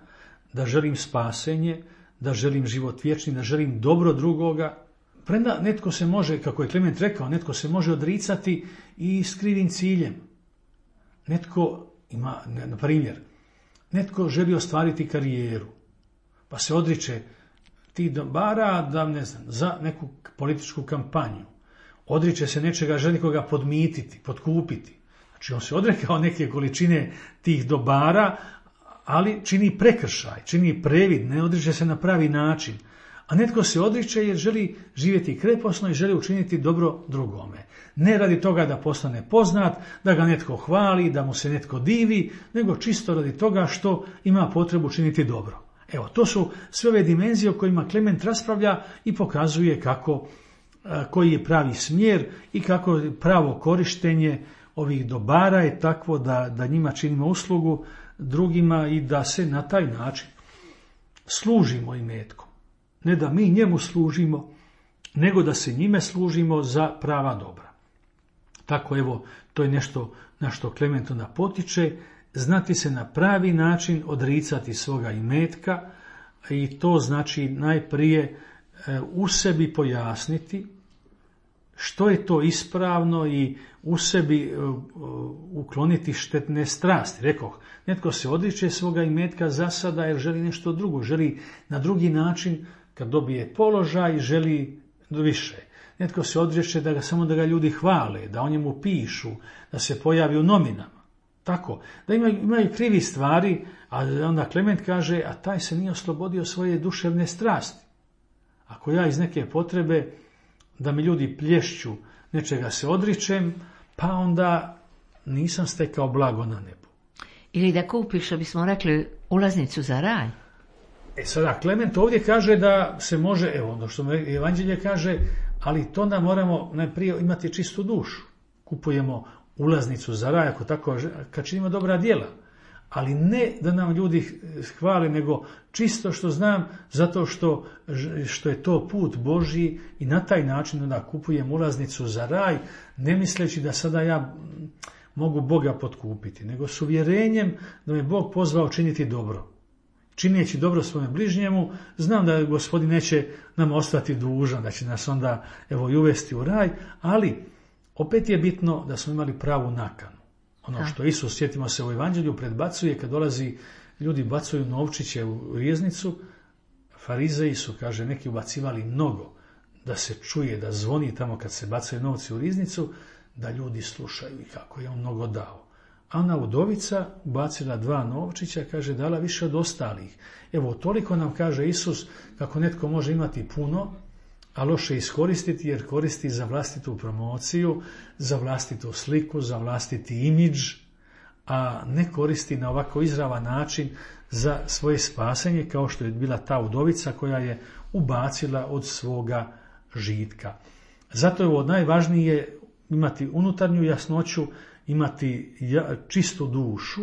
da želim spasenje, da želim život vječni, da želim dobro drugoga, premda netko se može, kako je Klement rekao, netko se može odricati i s krivim ciljem. Netko ima, na primjer, netko želi ostvariti karijeru, pa se odriče tih dobara da, ne znam, za neku političku kampanju. Odriče se nečega, želi koga podmititi, potkupiti. Znači on se odrekao neke količine tih dobara, ali čini prekršaj, čini previd, ne odriče se na pravi način. A netko se odriče jer želi živjeti kreposno i želi učiniti dobro drugome. Ne radi toga da postane poznat, da ga netko hvali, da mu se netko divi, nego čisto radi toga što ima potrebu činiti dobro. Evo, to su sve ove dimenzije o kojima Klement raspravlja i pokazuje koji je pravi smjer i kako je pravo korištenje ovih dobara je takvo da njima činimo uslugu drugima i da se na taj način služimo imetkom. Ne da mi njemu služimo, nego da se njime služimo za prava dobra. Tako evo, to je nešto na što Klement onda potiče, znati se na pravi način odricati svoga imetka i to znači najprije u sebi pojasniti što je to ispravno i u sebi ukloniti štetne strasti. Rekoh, netko se odriče svoga imetka za sada jer želi nešto drugo, želi na drugi način kad dobije položaj, želi više. Netko se odriče samo da ga ljudi hvale, da o njemu pišu, da se pojavi u novinama. Tako, da imaju krivi stvari, a onda Klement kaže, a taj se nije oslobodio svoje duševne strasti. Ako ja iz neke potrebe da mi ljudi plješću, nečega se odričem, pa onda nisam stekao blago na nebu. Ili da kupiš, što bismo rekli, ulaznicu za raj. Sada, Klement ovdje kaže da se može, evo ono što Evanđelje kaže, ali to da moramo najprije imati čistu dušu. Kupujemo ulaznicu za raj, ako tako, kad činimo dobra djela. Ali ne da nam ljudi hvale, nego čisto što znam, zato što je to put Božji i na taj način onda kupujem ulaznicu za raj, ne misleći da sada ja mogu Boga potkupiti, nego s uvjerenjem da me Bog pozvao činiti dobro. Čineći dobro svojem bližnjemu, znam da Gospodin neće nam ostati dužan, da će nas onda i uvesti u raj, ali opet je bitno da smo imali pravu nakanu. Ono što Isus, sjetimo se u Evanđelju, predbacuje kad dolazi, ljudi bacuju novčiće u riznicu, farizeji su, kaže, neki ubacivali mnogo, da se čuje, da zvoni tamo kad se bacaju novci u riznicu, da ljudi slušaju i kako je on mnogo dao. A ona udovica ubacila 2 novčića, kaže, dala više od ostalih. Evo, toliko nam kaže Isus kako netko može imati puno, a loše iskoristiti, jer koristi za vlastitu promociju, za vlastitu sliku, za vlastiti imidž, a ne koristi na ovako izravan način za svoje spasenje, kao što je bila ta udovica koja je ubacila od svoga žitka. Zato je ovo najvažnije, imati unutarnju jasnoću, imati čistu dušu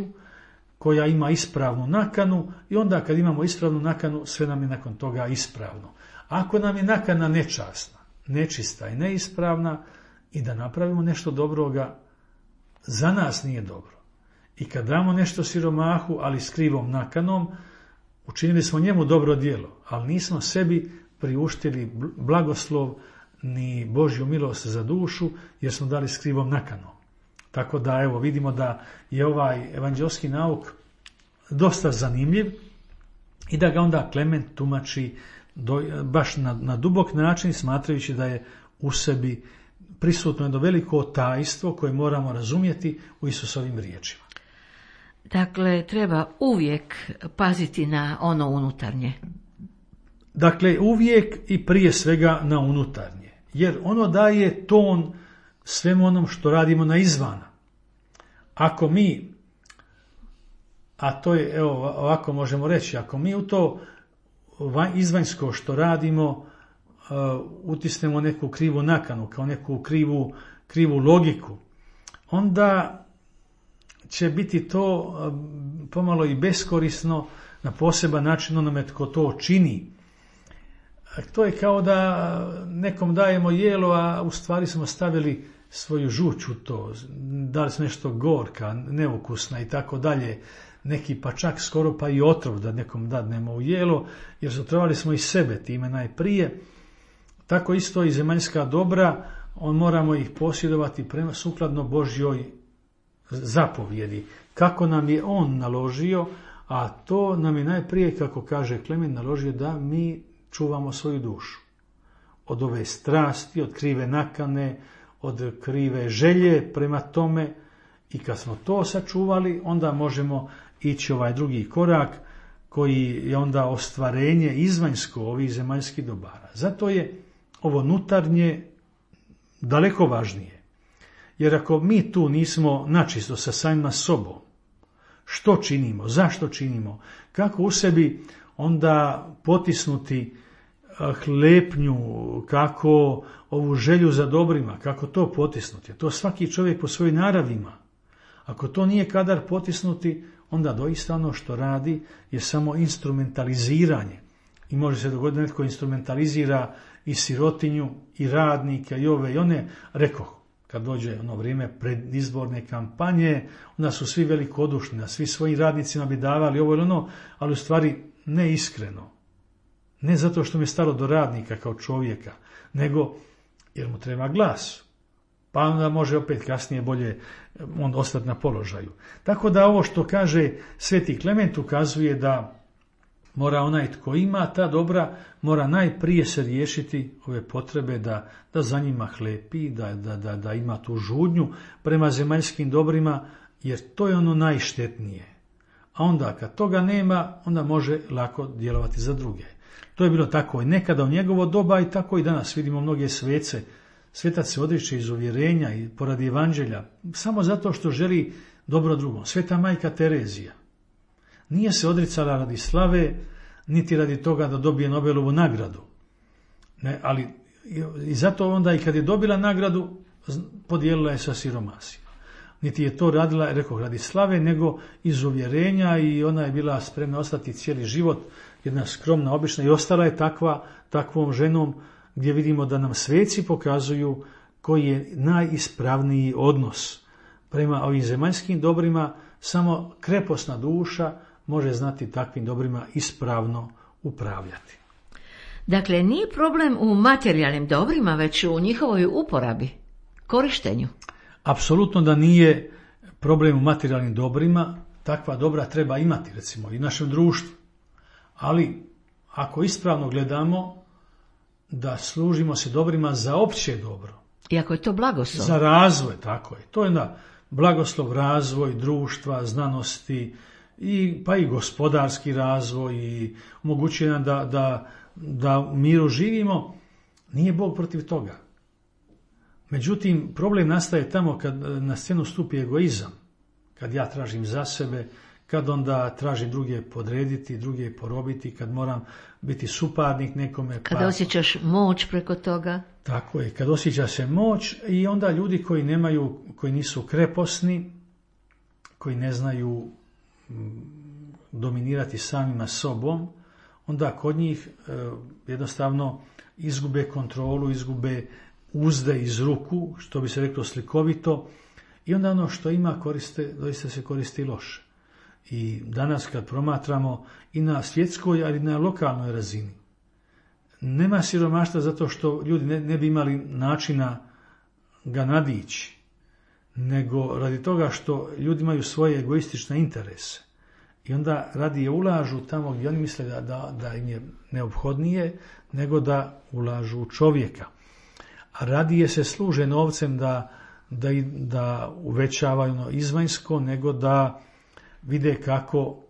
koja ima ispravnu nakanu, i onda kad imamo ispravnu nakanu, sve nam je nakon toga ispravno. Ako nam je nakana nečasna, nečista i neispravna, i da napravimo nešto dobroga, za nas nije dobro. I kad damo nešto siromahu, ali s krivom nakanom, učinili smo njemu dobro djelo, ali nismo sebi priuštili blagoslov ni Božju milost za dušu, jer smo dali s krivom nakanom. Tako da vidimo da je ovaj evanđelski nauk dosta zanimljiv i da ga onda Klement tumači baš na dubok način, smatrajući da je u sebi prisutno jedno veliko tajstvo koje moramo razumjeti u Isusovim riječima. Dakle, treba uvijek paziti na ono unutarnje. Dakle, uvijek i prije svega na unutarnje, jer ono daje ton svemu onom što radimo na izvana. Ako mi, a to je, ovako možemo reći, ako mi u to izvanjsko što radimo utisnemo neku krivu nakanu, kao neku krivu logiku, onda će biti to pomalo i beskorisno na poseban način onome tko to čini. To je kao da nekom dajemo jelo, a u stvari smo stavili svoju žuč u to, dali smo nešto gorka, neukusna i tako dalje, neki pa čak skoro pa i otrov da nekom dadnemo u jelo, jer zatrovali smo i sebe time najprije. Tako isto i zemaljska dobra, moramo ih posjedovati sukladno Božjoj zapovjedi, kako nam je on naložio, a to nam je najprije, kako kaže Klement, naložio da mi čuvamo svoju dušu od ove strasti, od krive nakane, od krive želje prema tome, i kad smo to sačuvali, onda možemo ići ovaj drugi korak, koji je onda ostvarenje izvanjsko ovih zemaljskih dobara. Zato je ovo unutarnje daleko važnije. Jer ako mi tu nismo načisto sa samima sobom, što činimo, zašto činimo, kako u sebi onda potisnuti hlepnju, kako ovu želju za dobrima, kako to potisnuti. To svaki čovjek po svojoj naravi ima. Ako to nije kadar potisnuti, onda doista ono što radi je samo instrumentaliziranje. I može se dogoditi da netko instrumentalizira i sirotinju, i radnike, i ove i one. Rekoh, kad dođe ono vrijeme predizborne kampanje, onda su svi velikodušni, a svi svojim radnicima bi davali ovo ili ono, ali u stvari ne iskreno. Ne zato što mi je stalo do radnika kao čovjeka, nego jer mu treba glas. Pa onda može opet kasnije bolje on ostati na položaju. Tako da ovo što kaže Sveti Klement ukazuje da mora onaj tko ima ta dobra, mora najprije se riješiti ove potrebe da za njima hlepi, da ima tu žudnju prema zemaljskim dobrima, jer to je ono najštetnije. A onda kad toga nema, onda može lako djelovati za druge. To je bilo tako i nekada u njegovo doba i tako i danas. Vidimo mnoge svece. Svetac se odriče iz uvjerenja i poradi evanđelja samo zato što želi dobro drugom. Sveta majka Terezija nije se odricala radi slave, niti radi toga da dobije Nobelovu nagradu. Ne, ali i zato onda i kad je dobila nagradu, podijelila je sa siromasima. niti je to radila, rekao, radi slave, nego iz uvjerenja, i ona je bila spremna ostati cijeli život, jedna skromna, obična, i ostala je takvom ženom, gdje vidimo da nam sveci pokazuju koji je najispravniji odnos prema ovim zemaljskim dobrima. Samo kreposna duša može znati takvim dobrima ispravno upravljati. Dakle, nije problem u materijalnim dobrima, već u njihovoj uporabi, korištenju. Apsolutno da nije problem u materijalnim dobrima, takva dobra treba imati, recimo, i u našem društvu. Ali, ako ispravno gledamo, da služimo se dobrima za opće dobro. I ako je to blagoslov. Za razvoj, tako je. To je blagoslov, razvoj društva, znanosti, pa i gospodarski razvoj, i omogućuje nam da u miru živimo. Nije Bog protiv toga. Međutim, problem nastaje tamo kad na scenu stupi egoizam, kad ja tražim za sebe, kad onda tražim druge podrediti, druge porobiti, kad moram biti suparnik nekome. Kada osjećaš moć preko toga. Tako je, kad osjeća se moć, i onda ljudi koji nisu kreposni, koji ne znaju dominirati samima sobom, onda kod njih jednostavno izgube kontrolu, izgube uzde iz ruku, što bi se reklo slikovito, i onda ono što ima doista se koristi loše. I danas kad promatramo i na svjetskoj, ali i na lokalnoj razini, nema siromaštva zato što ljudi ne bi imali načina ga nadići, nego radi toga što ljudi imaju svoje egoistične interese. I onda radije ulažu tamo gdje oni misle da im je neophodnije, nego da ulažu u čovjeka. A radije se služe novcem da uvećavaju ono izvanjsko, nego da vide kako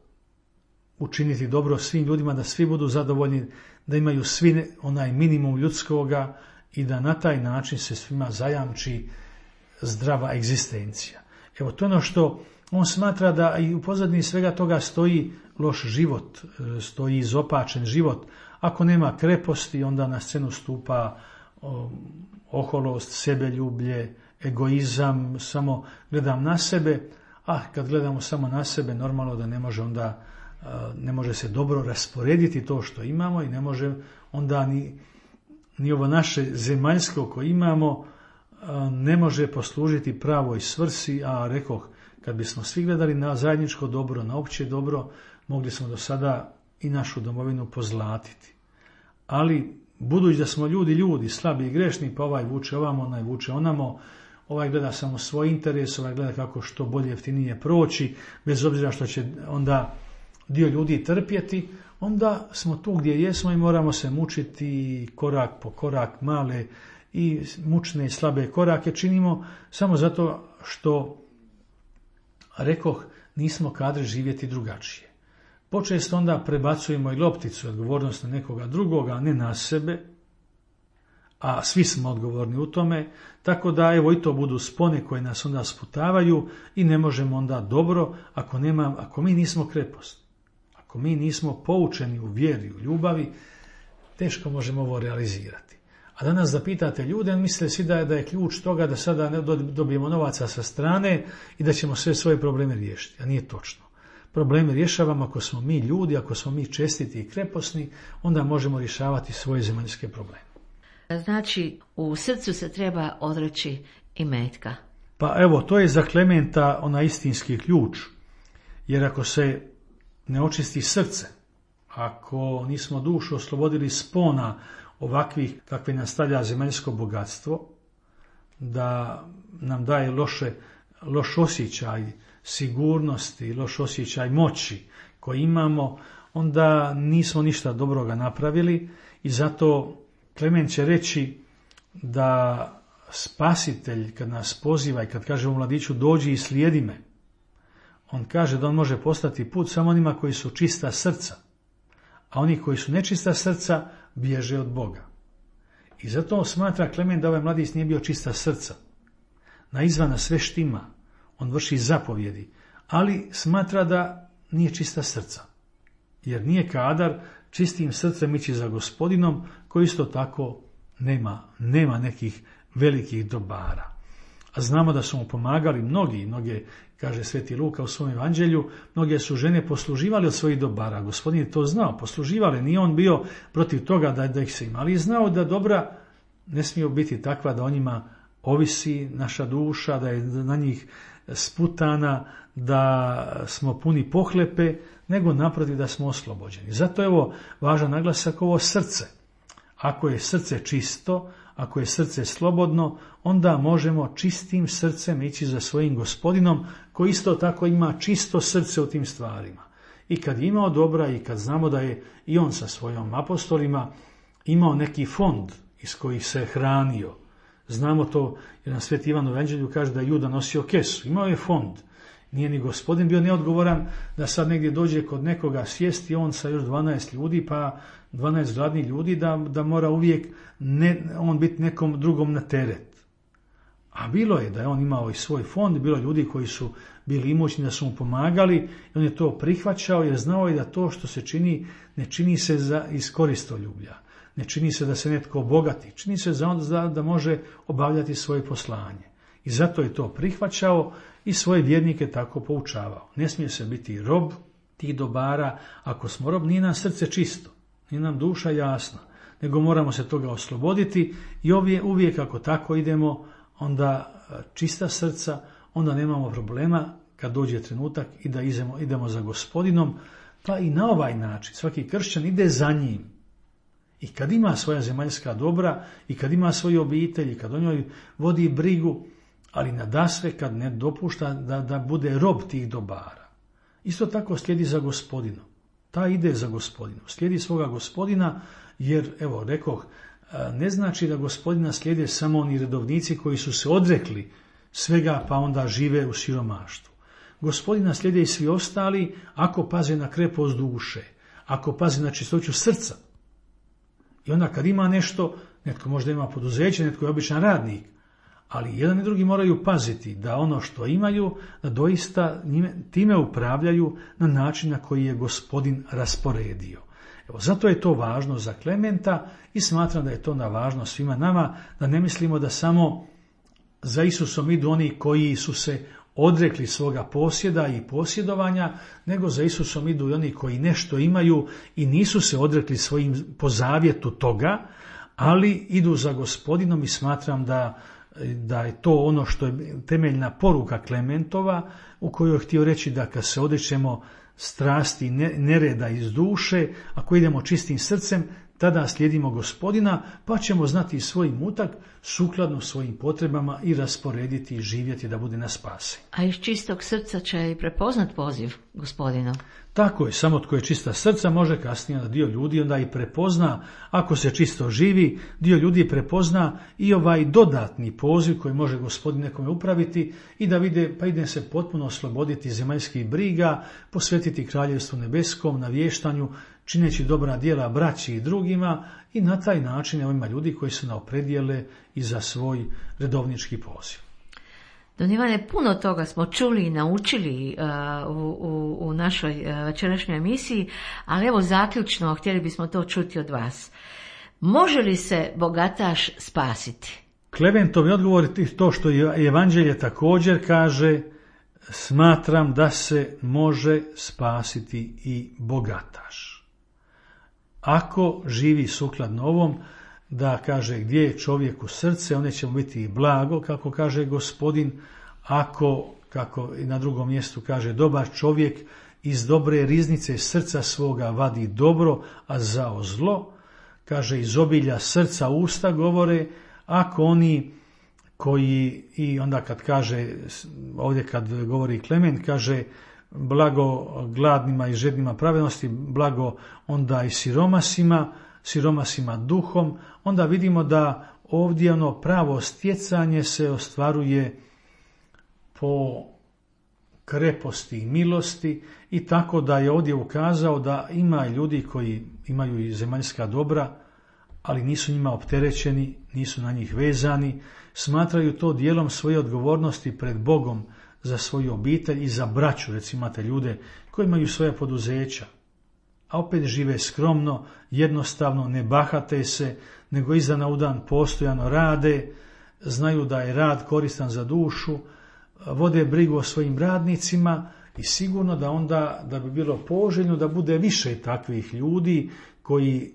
učiniti dobro svim ljudima, da svi budu zadovoljni, da imaju svi onaj minimum ljudskoga, i da na taj način se svima zajamči zdrava egzistencija. Evo, to je ono što on smatra, da i u pozadini svega toga stoji loš život, stoji izopačen život. Ako nema kreposti, onda na scenu stupa oholost, sebeljublje, egoizam, samo gledam na sebe, a kad gledamo samo na sebe, normalno da ne može se dobro rasporediti to što imamo, i ne može onda ni ovo naše zemaljsko koje imamo ne može poslužiti pravoj svrsi. A rekoh, kad bismo svi gledali na zajedničko dobro, na opće dobro, mogli smo do sada i našu domovinu pozlatiti. Ali budući da smo ljudi, slabi i grešni, pa ovaj vuče ovamo, onaj vuče onamo, ovaj gleda samo svoj interes, ovaj gleda kako što bolje, jeftinije proći, bez obzira što će onda dio ljudi trpjeti, onda smo tu gdje jesmo i moramo se mučiti korak po korak, male i mučne i slabe korake činimo samo zato što, rekoh, nismo kadri živjeti drugačije. Počesto onda prebacujemo i lopticu, odgovornost na nekoga drugoga, a ne na sebe, a svi smo odgovorni u tome, tako da evo i to budu spone koje nas onda sputavaju i ne možemo onda dobro ako mi nismo kreposti, ako mi nismo poučeni u vjeri, u ljubavi, teško možemo ovo realizirati. A danas da pitate ljude, misle svi da je ključ toga da sada ne dobijemo novaca sa strane i da ćemo sve svoje probleme riješiti, a nije točno. Probleme rješavamo ako smo mi ljudi, ako smo mi čestiti i kreposni, onda možemo rješavati svoje zemaljske probleme. Znači, u srcu se treba odreći imetka. Pa evo, to je za Klementa onaj istinski ključ, jer ako se ne očisti srce, ako nismo dušu oslobodili spona ovakvih kakve nas stavlja zemaljsko bogatstvo, da nam daje loš osjećaj sigurnosti, loš osjećaj moći koji imamo, onda nismo ništa dobroga napravili. I zato Klement će reći da Spasitelj kad nas poziva i kad kaže u mladiću dođi i slijedi me, on kaže da on može postati put samo onima koji su čista srca, a oni koji su nečista srca bježe od Boga. I zato smatra Klement da ovaj mladić nije bio čista srca. Na izvana sve štima, on vrši zapovjedi, ali smatra da nije čista srca, jer nije kadar čistim srcem ići za Gospodinom, koji isto tako nema nekih velikih dobara. A znamo da su mu pomagali mnoge, kaže Sveti Luka u svom evanđelju, mnoge su žene posluživali od svojih dobara. Gospodin je to znao, posluživali, nije on bio protiv toga da ih se ima, ali je znao da dobra ne smije biti takva da o njima ovisi naša duša, da je na njih sputana, da smo puni pohlepe, nego naprotiv da smo oslobođeni. Zato je ovo važan naglasak, ovo srce. Ako je srce čisto, ako je srce slobodno, onda možemo čistim srcem ići za svojim Gospodinom, koji isto tako ima čisto srce u tim stvarima. I kad je imao dobra i kad znamo da je i on sa svojim apostolima imao neki fond iz kojih se hranio. Znamo to jer na Sveti Ivan u evanđelju kaže da je Juda nosio kesu, imao je fond. Nije ni Gospodin bio neodgovoran da sad negdje dođe kod nekoga sjesti on sa još 12 ljudi, pa 12 gladnih ljudi da mora uvijek on biti nekom drugom na teret. A bilo je da je on imao i svoj fond, bilo je ljudi koji su bili imućni da su mu pomagali i on je to prihvaćao jer znao je da to što se čini ne čini se iz koristoljublja. Ne čini se da se netko obogati, čini se da može obavljati svoje poslanje. I zato je to prihvaćao i svoje vjernike tako poučavao. Ne smije se biti rob tih dobara. Ako smo rob, nije nam srce čisto, nije nam duša jasna, nego moramo se toga osloboditi i uvijek ako tako idemo, onda čista srca, onda nemamo problema kad dođe trenutak i da idemo za Gospodinom, pa i na ovaj način svaki kršćan ide za njim. I kad ima svoja zemaljska dobra i kad ima svoju obitelj i kad o njoj vodi brigu, ali nadasve kad ne dopušta da bude rob tih dobara. Isto tako slijedi za Gospodinom. Ta ide za Gospodinom. Slijedi svoga Gospodina jer, evo, rekoh, ne znači da Gospodina slijede samo oni redovnici koji su se odrekli svega pa onda žive u siromaštvu. Gospodina slijede i svi ostali ako paze na krepost duše, ako paze na čistoću srca. I onda kad ima nešto, netko možda ima poduzeće, netko je običan radnik, ali jedan i drugi moraju paziti da ono što imaju, da doista time upravljaju na način na koji je Gospodin rasporedio. Evo, zato je to važno za Klementa i smatram da je to važno svima nama, da ne mislimo da samo za Isusom idu oni koji su se odrekli svoga posjeda i posjedovanja, nego za Isusom idu i oni koji nešto imaju i nisu se odrekli svojim po zavjetu toga, ali idu za Gospodinom i smatram da je to ono što je temeljna poruka Klementova, u kojoj je htio reći da kad se odrećemo strasti nereda iz duše, ako idemo čistim srcem, tada slijedimo Gospodina, pa ćemo znati svoj mutak sukladno svojim potrebama i rasporediti i živjeti da bude na spasi. A iz čistog srca će i prepoznat poziv Gospodina. Tako je, samo tko je čista srca može kasnije da dio ljudi onda i prepozna, ako se čisto živi, dio ljudi prepozna i ovaj dodatni poziv koji može Gospodin nekome upraviti i da vide, pa ide se potpuno osloboditi zemaljskih briga, posvetiti kraljevstvu nebeskom, navještanju, čineći dobra djela braći i drugima i na taj način ima ljudi koji se opredijele i za svoj redovnički poziv. Don Ivane, puno toga smo čuli i naučili u našoj večerašnjoj emisiji, ali evo zaključno htjeli bismo to čuti od vas. Može li se bogataš spasiti? Klementov odgovor je to što je evanđelje također kaže, smatram da se može spasiti i bogataš. Ako živi sukladno ovom, da kaže gdje je čovjeku srce, one će mu biti i blago, kako kaže Gospodin, ako, kako i na drugom mjestu kaže, dobar čovjek iz dobre riznice srca svoga vadi dobro, a zao zlo, kaže iz obilja srca usta govore, ako oni koji, i onda kad kaže, ovdje kad govori Klement, kaže blago gladnima i žednima pravednosti, blago onda i siromasima duhom, onda vidimo da ovdje ono pravo stjecanje se ostvaruje po kreposti i milosti i tako da je ovdje ukazao da ima ljudi koji imaju i zemaljska dobra, ali nisu njima opterećeni, nisu na njih vezani, smatraju to dijelom svoje odgovornosti pred Bogom za svoju obitelj i za braću, recimo imate ljude koji imaju svoja poduzeća, a opet žive skromno, jednostavno, ne bahate se, nego iz dana u dan postojano rade, znaju da je rad koristan za dušu, vode brigu o svojim radnicima i sigurno da onda da bi bilo poželjno da bude više takvih ljudi koji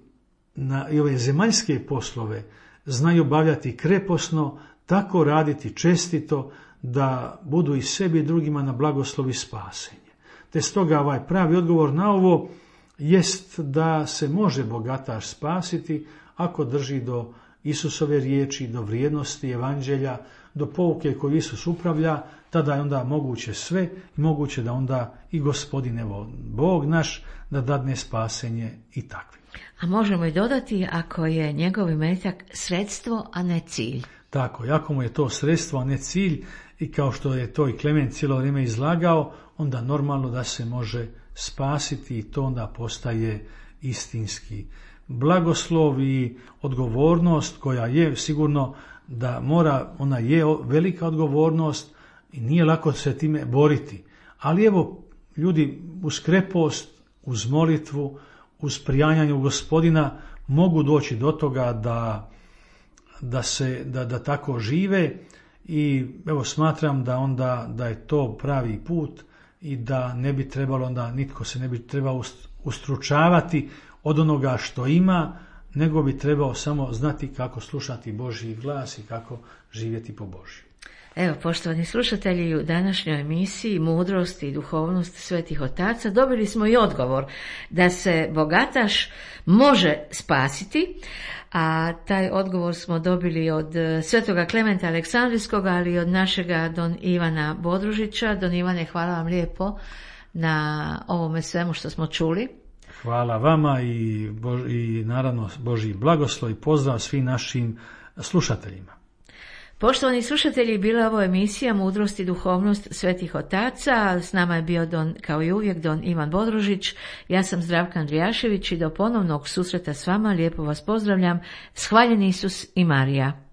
na ove zemaljske poslove znaju obavljati kreposno, tako raditi čestito da budu i sebi i drugima na blagoslov i spasenje. Te stoga ovaj pravi odgovor na ovo jest da se može bogataš spasiti ako drži do Isusove riječi, do vrijednosti evanđelja, do pouke koju Isus upravlja, tada je onda moguće sve i moguće da onda i Gospodin, evo, Bog naš, da dadne spasenje i takvi. A možemo i dodati ako je njegov imetak sredstvo, a ne cilj. Tako, ako mu je to sredstvo, a ne cilj, i kao što je to i Klement cijelo vrijeme izlagao, onda normalno da se može spasiti i to onda postaje istinski blagoslov i odgovornost koja je sigurno da mora, ona je velika odgovornost i nije lako se time boriti. Ali evo, ljudi uz krepost, uz molitvu, uz prijanjanje u Gospodina mogu doći do toga da tako žive i evo smatram da onda da je to pravi put i da ne bi trebalo onda, nitko se ne bi trebao ustručavati od onoga što ima, nego bi trebao samo znati kako slušati Božji glas i kako živjeti po Božju. Evo, poštovani slušatelji, u današnjoj emisiji Mudrost i duhovnost svetih otaca dobili smo i odgovor da se bogataš može spasiti, a taj odgovor smo dobili od svetoga Klementa Aleksandrijskog, ali i od našega don Ivana Bodružića. Don Ivane, hvala vam lijepo na ovome svemu što smo čuli. Hvala vama i naravno Božji blagoslov i pozdrav svim našim slušateljima. Poštovani slušatelji, bila je ovo emisija Mudrost i duhovnost svetih otaca. S nama je bio kao i uvijek don Ivan Bodružić. Ja sam Zdravka Andrijašević i do ponovnog susreta s vama lijepo vas pozdravljam. Shvaljen Isus i Marija.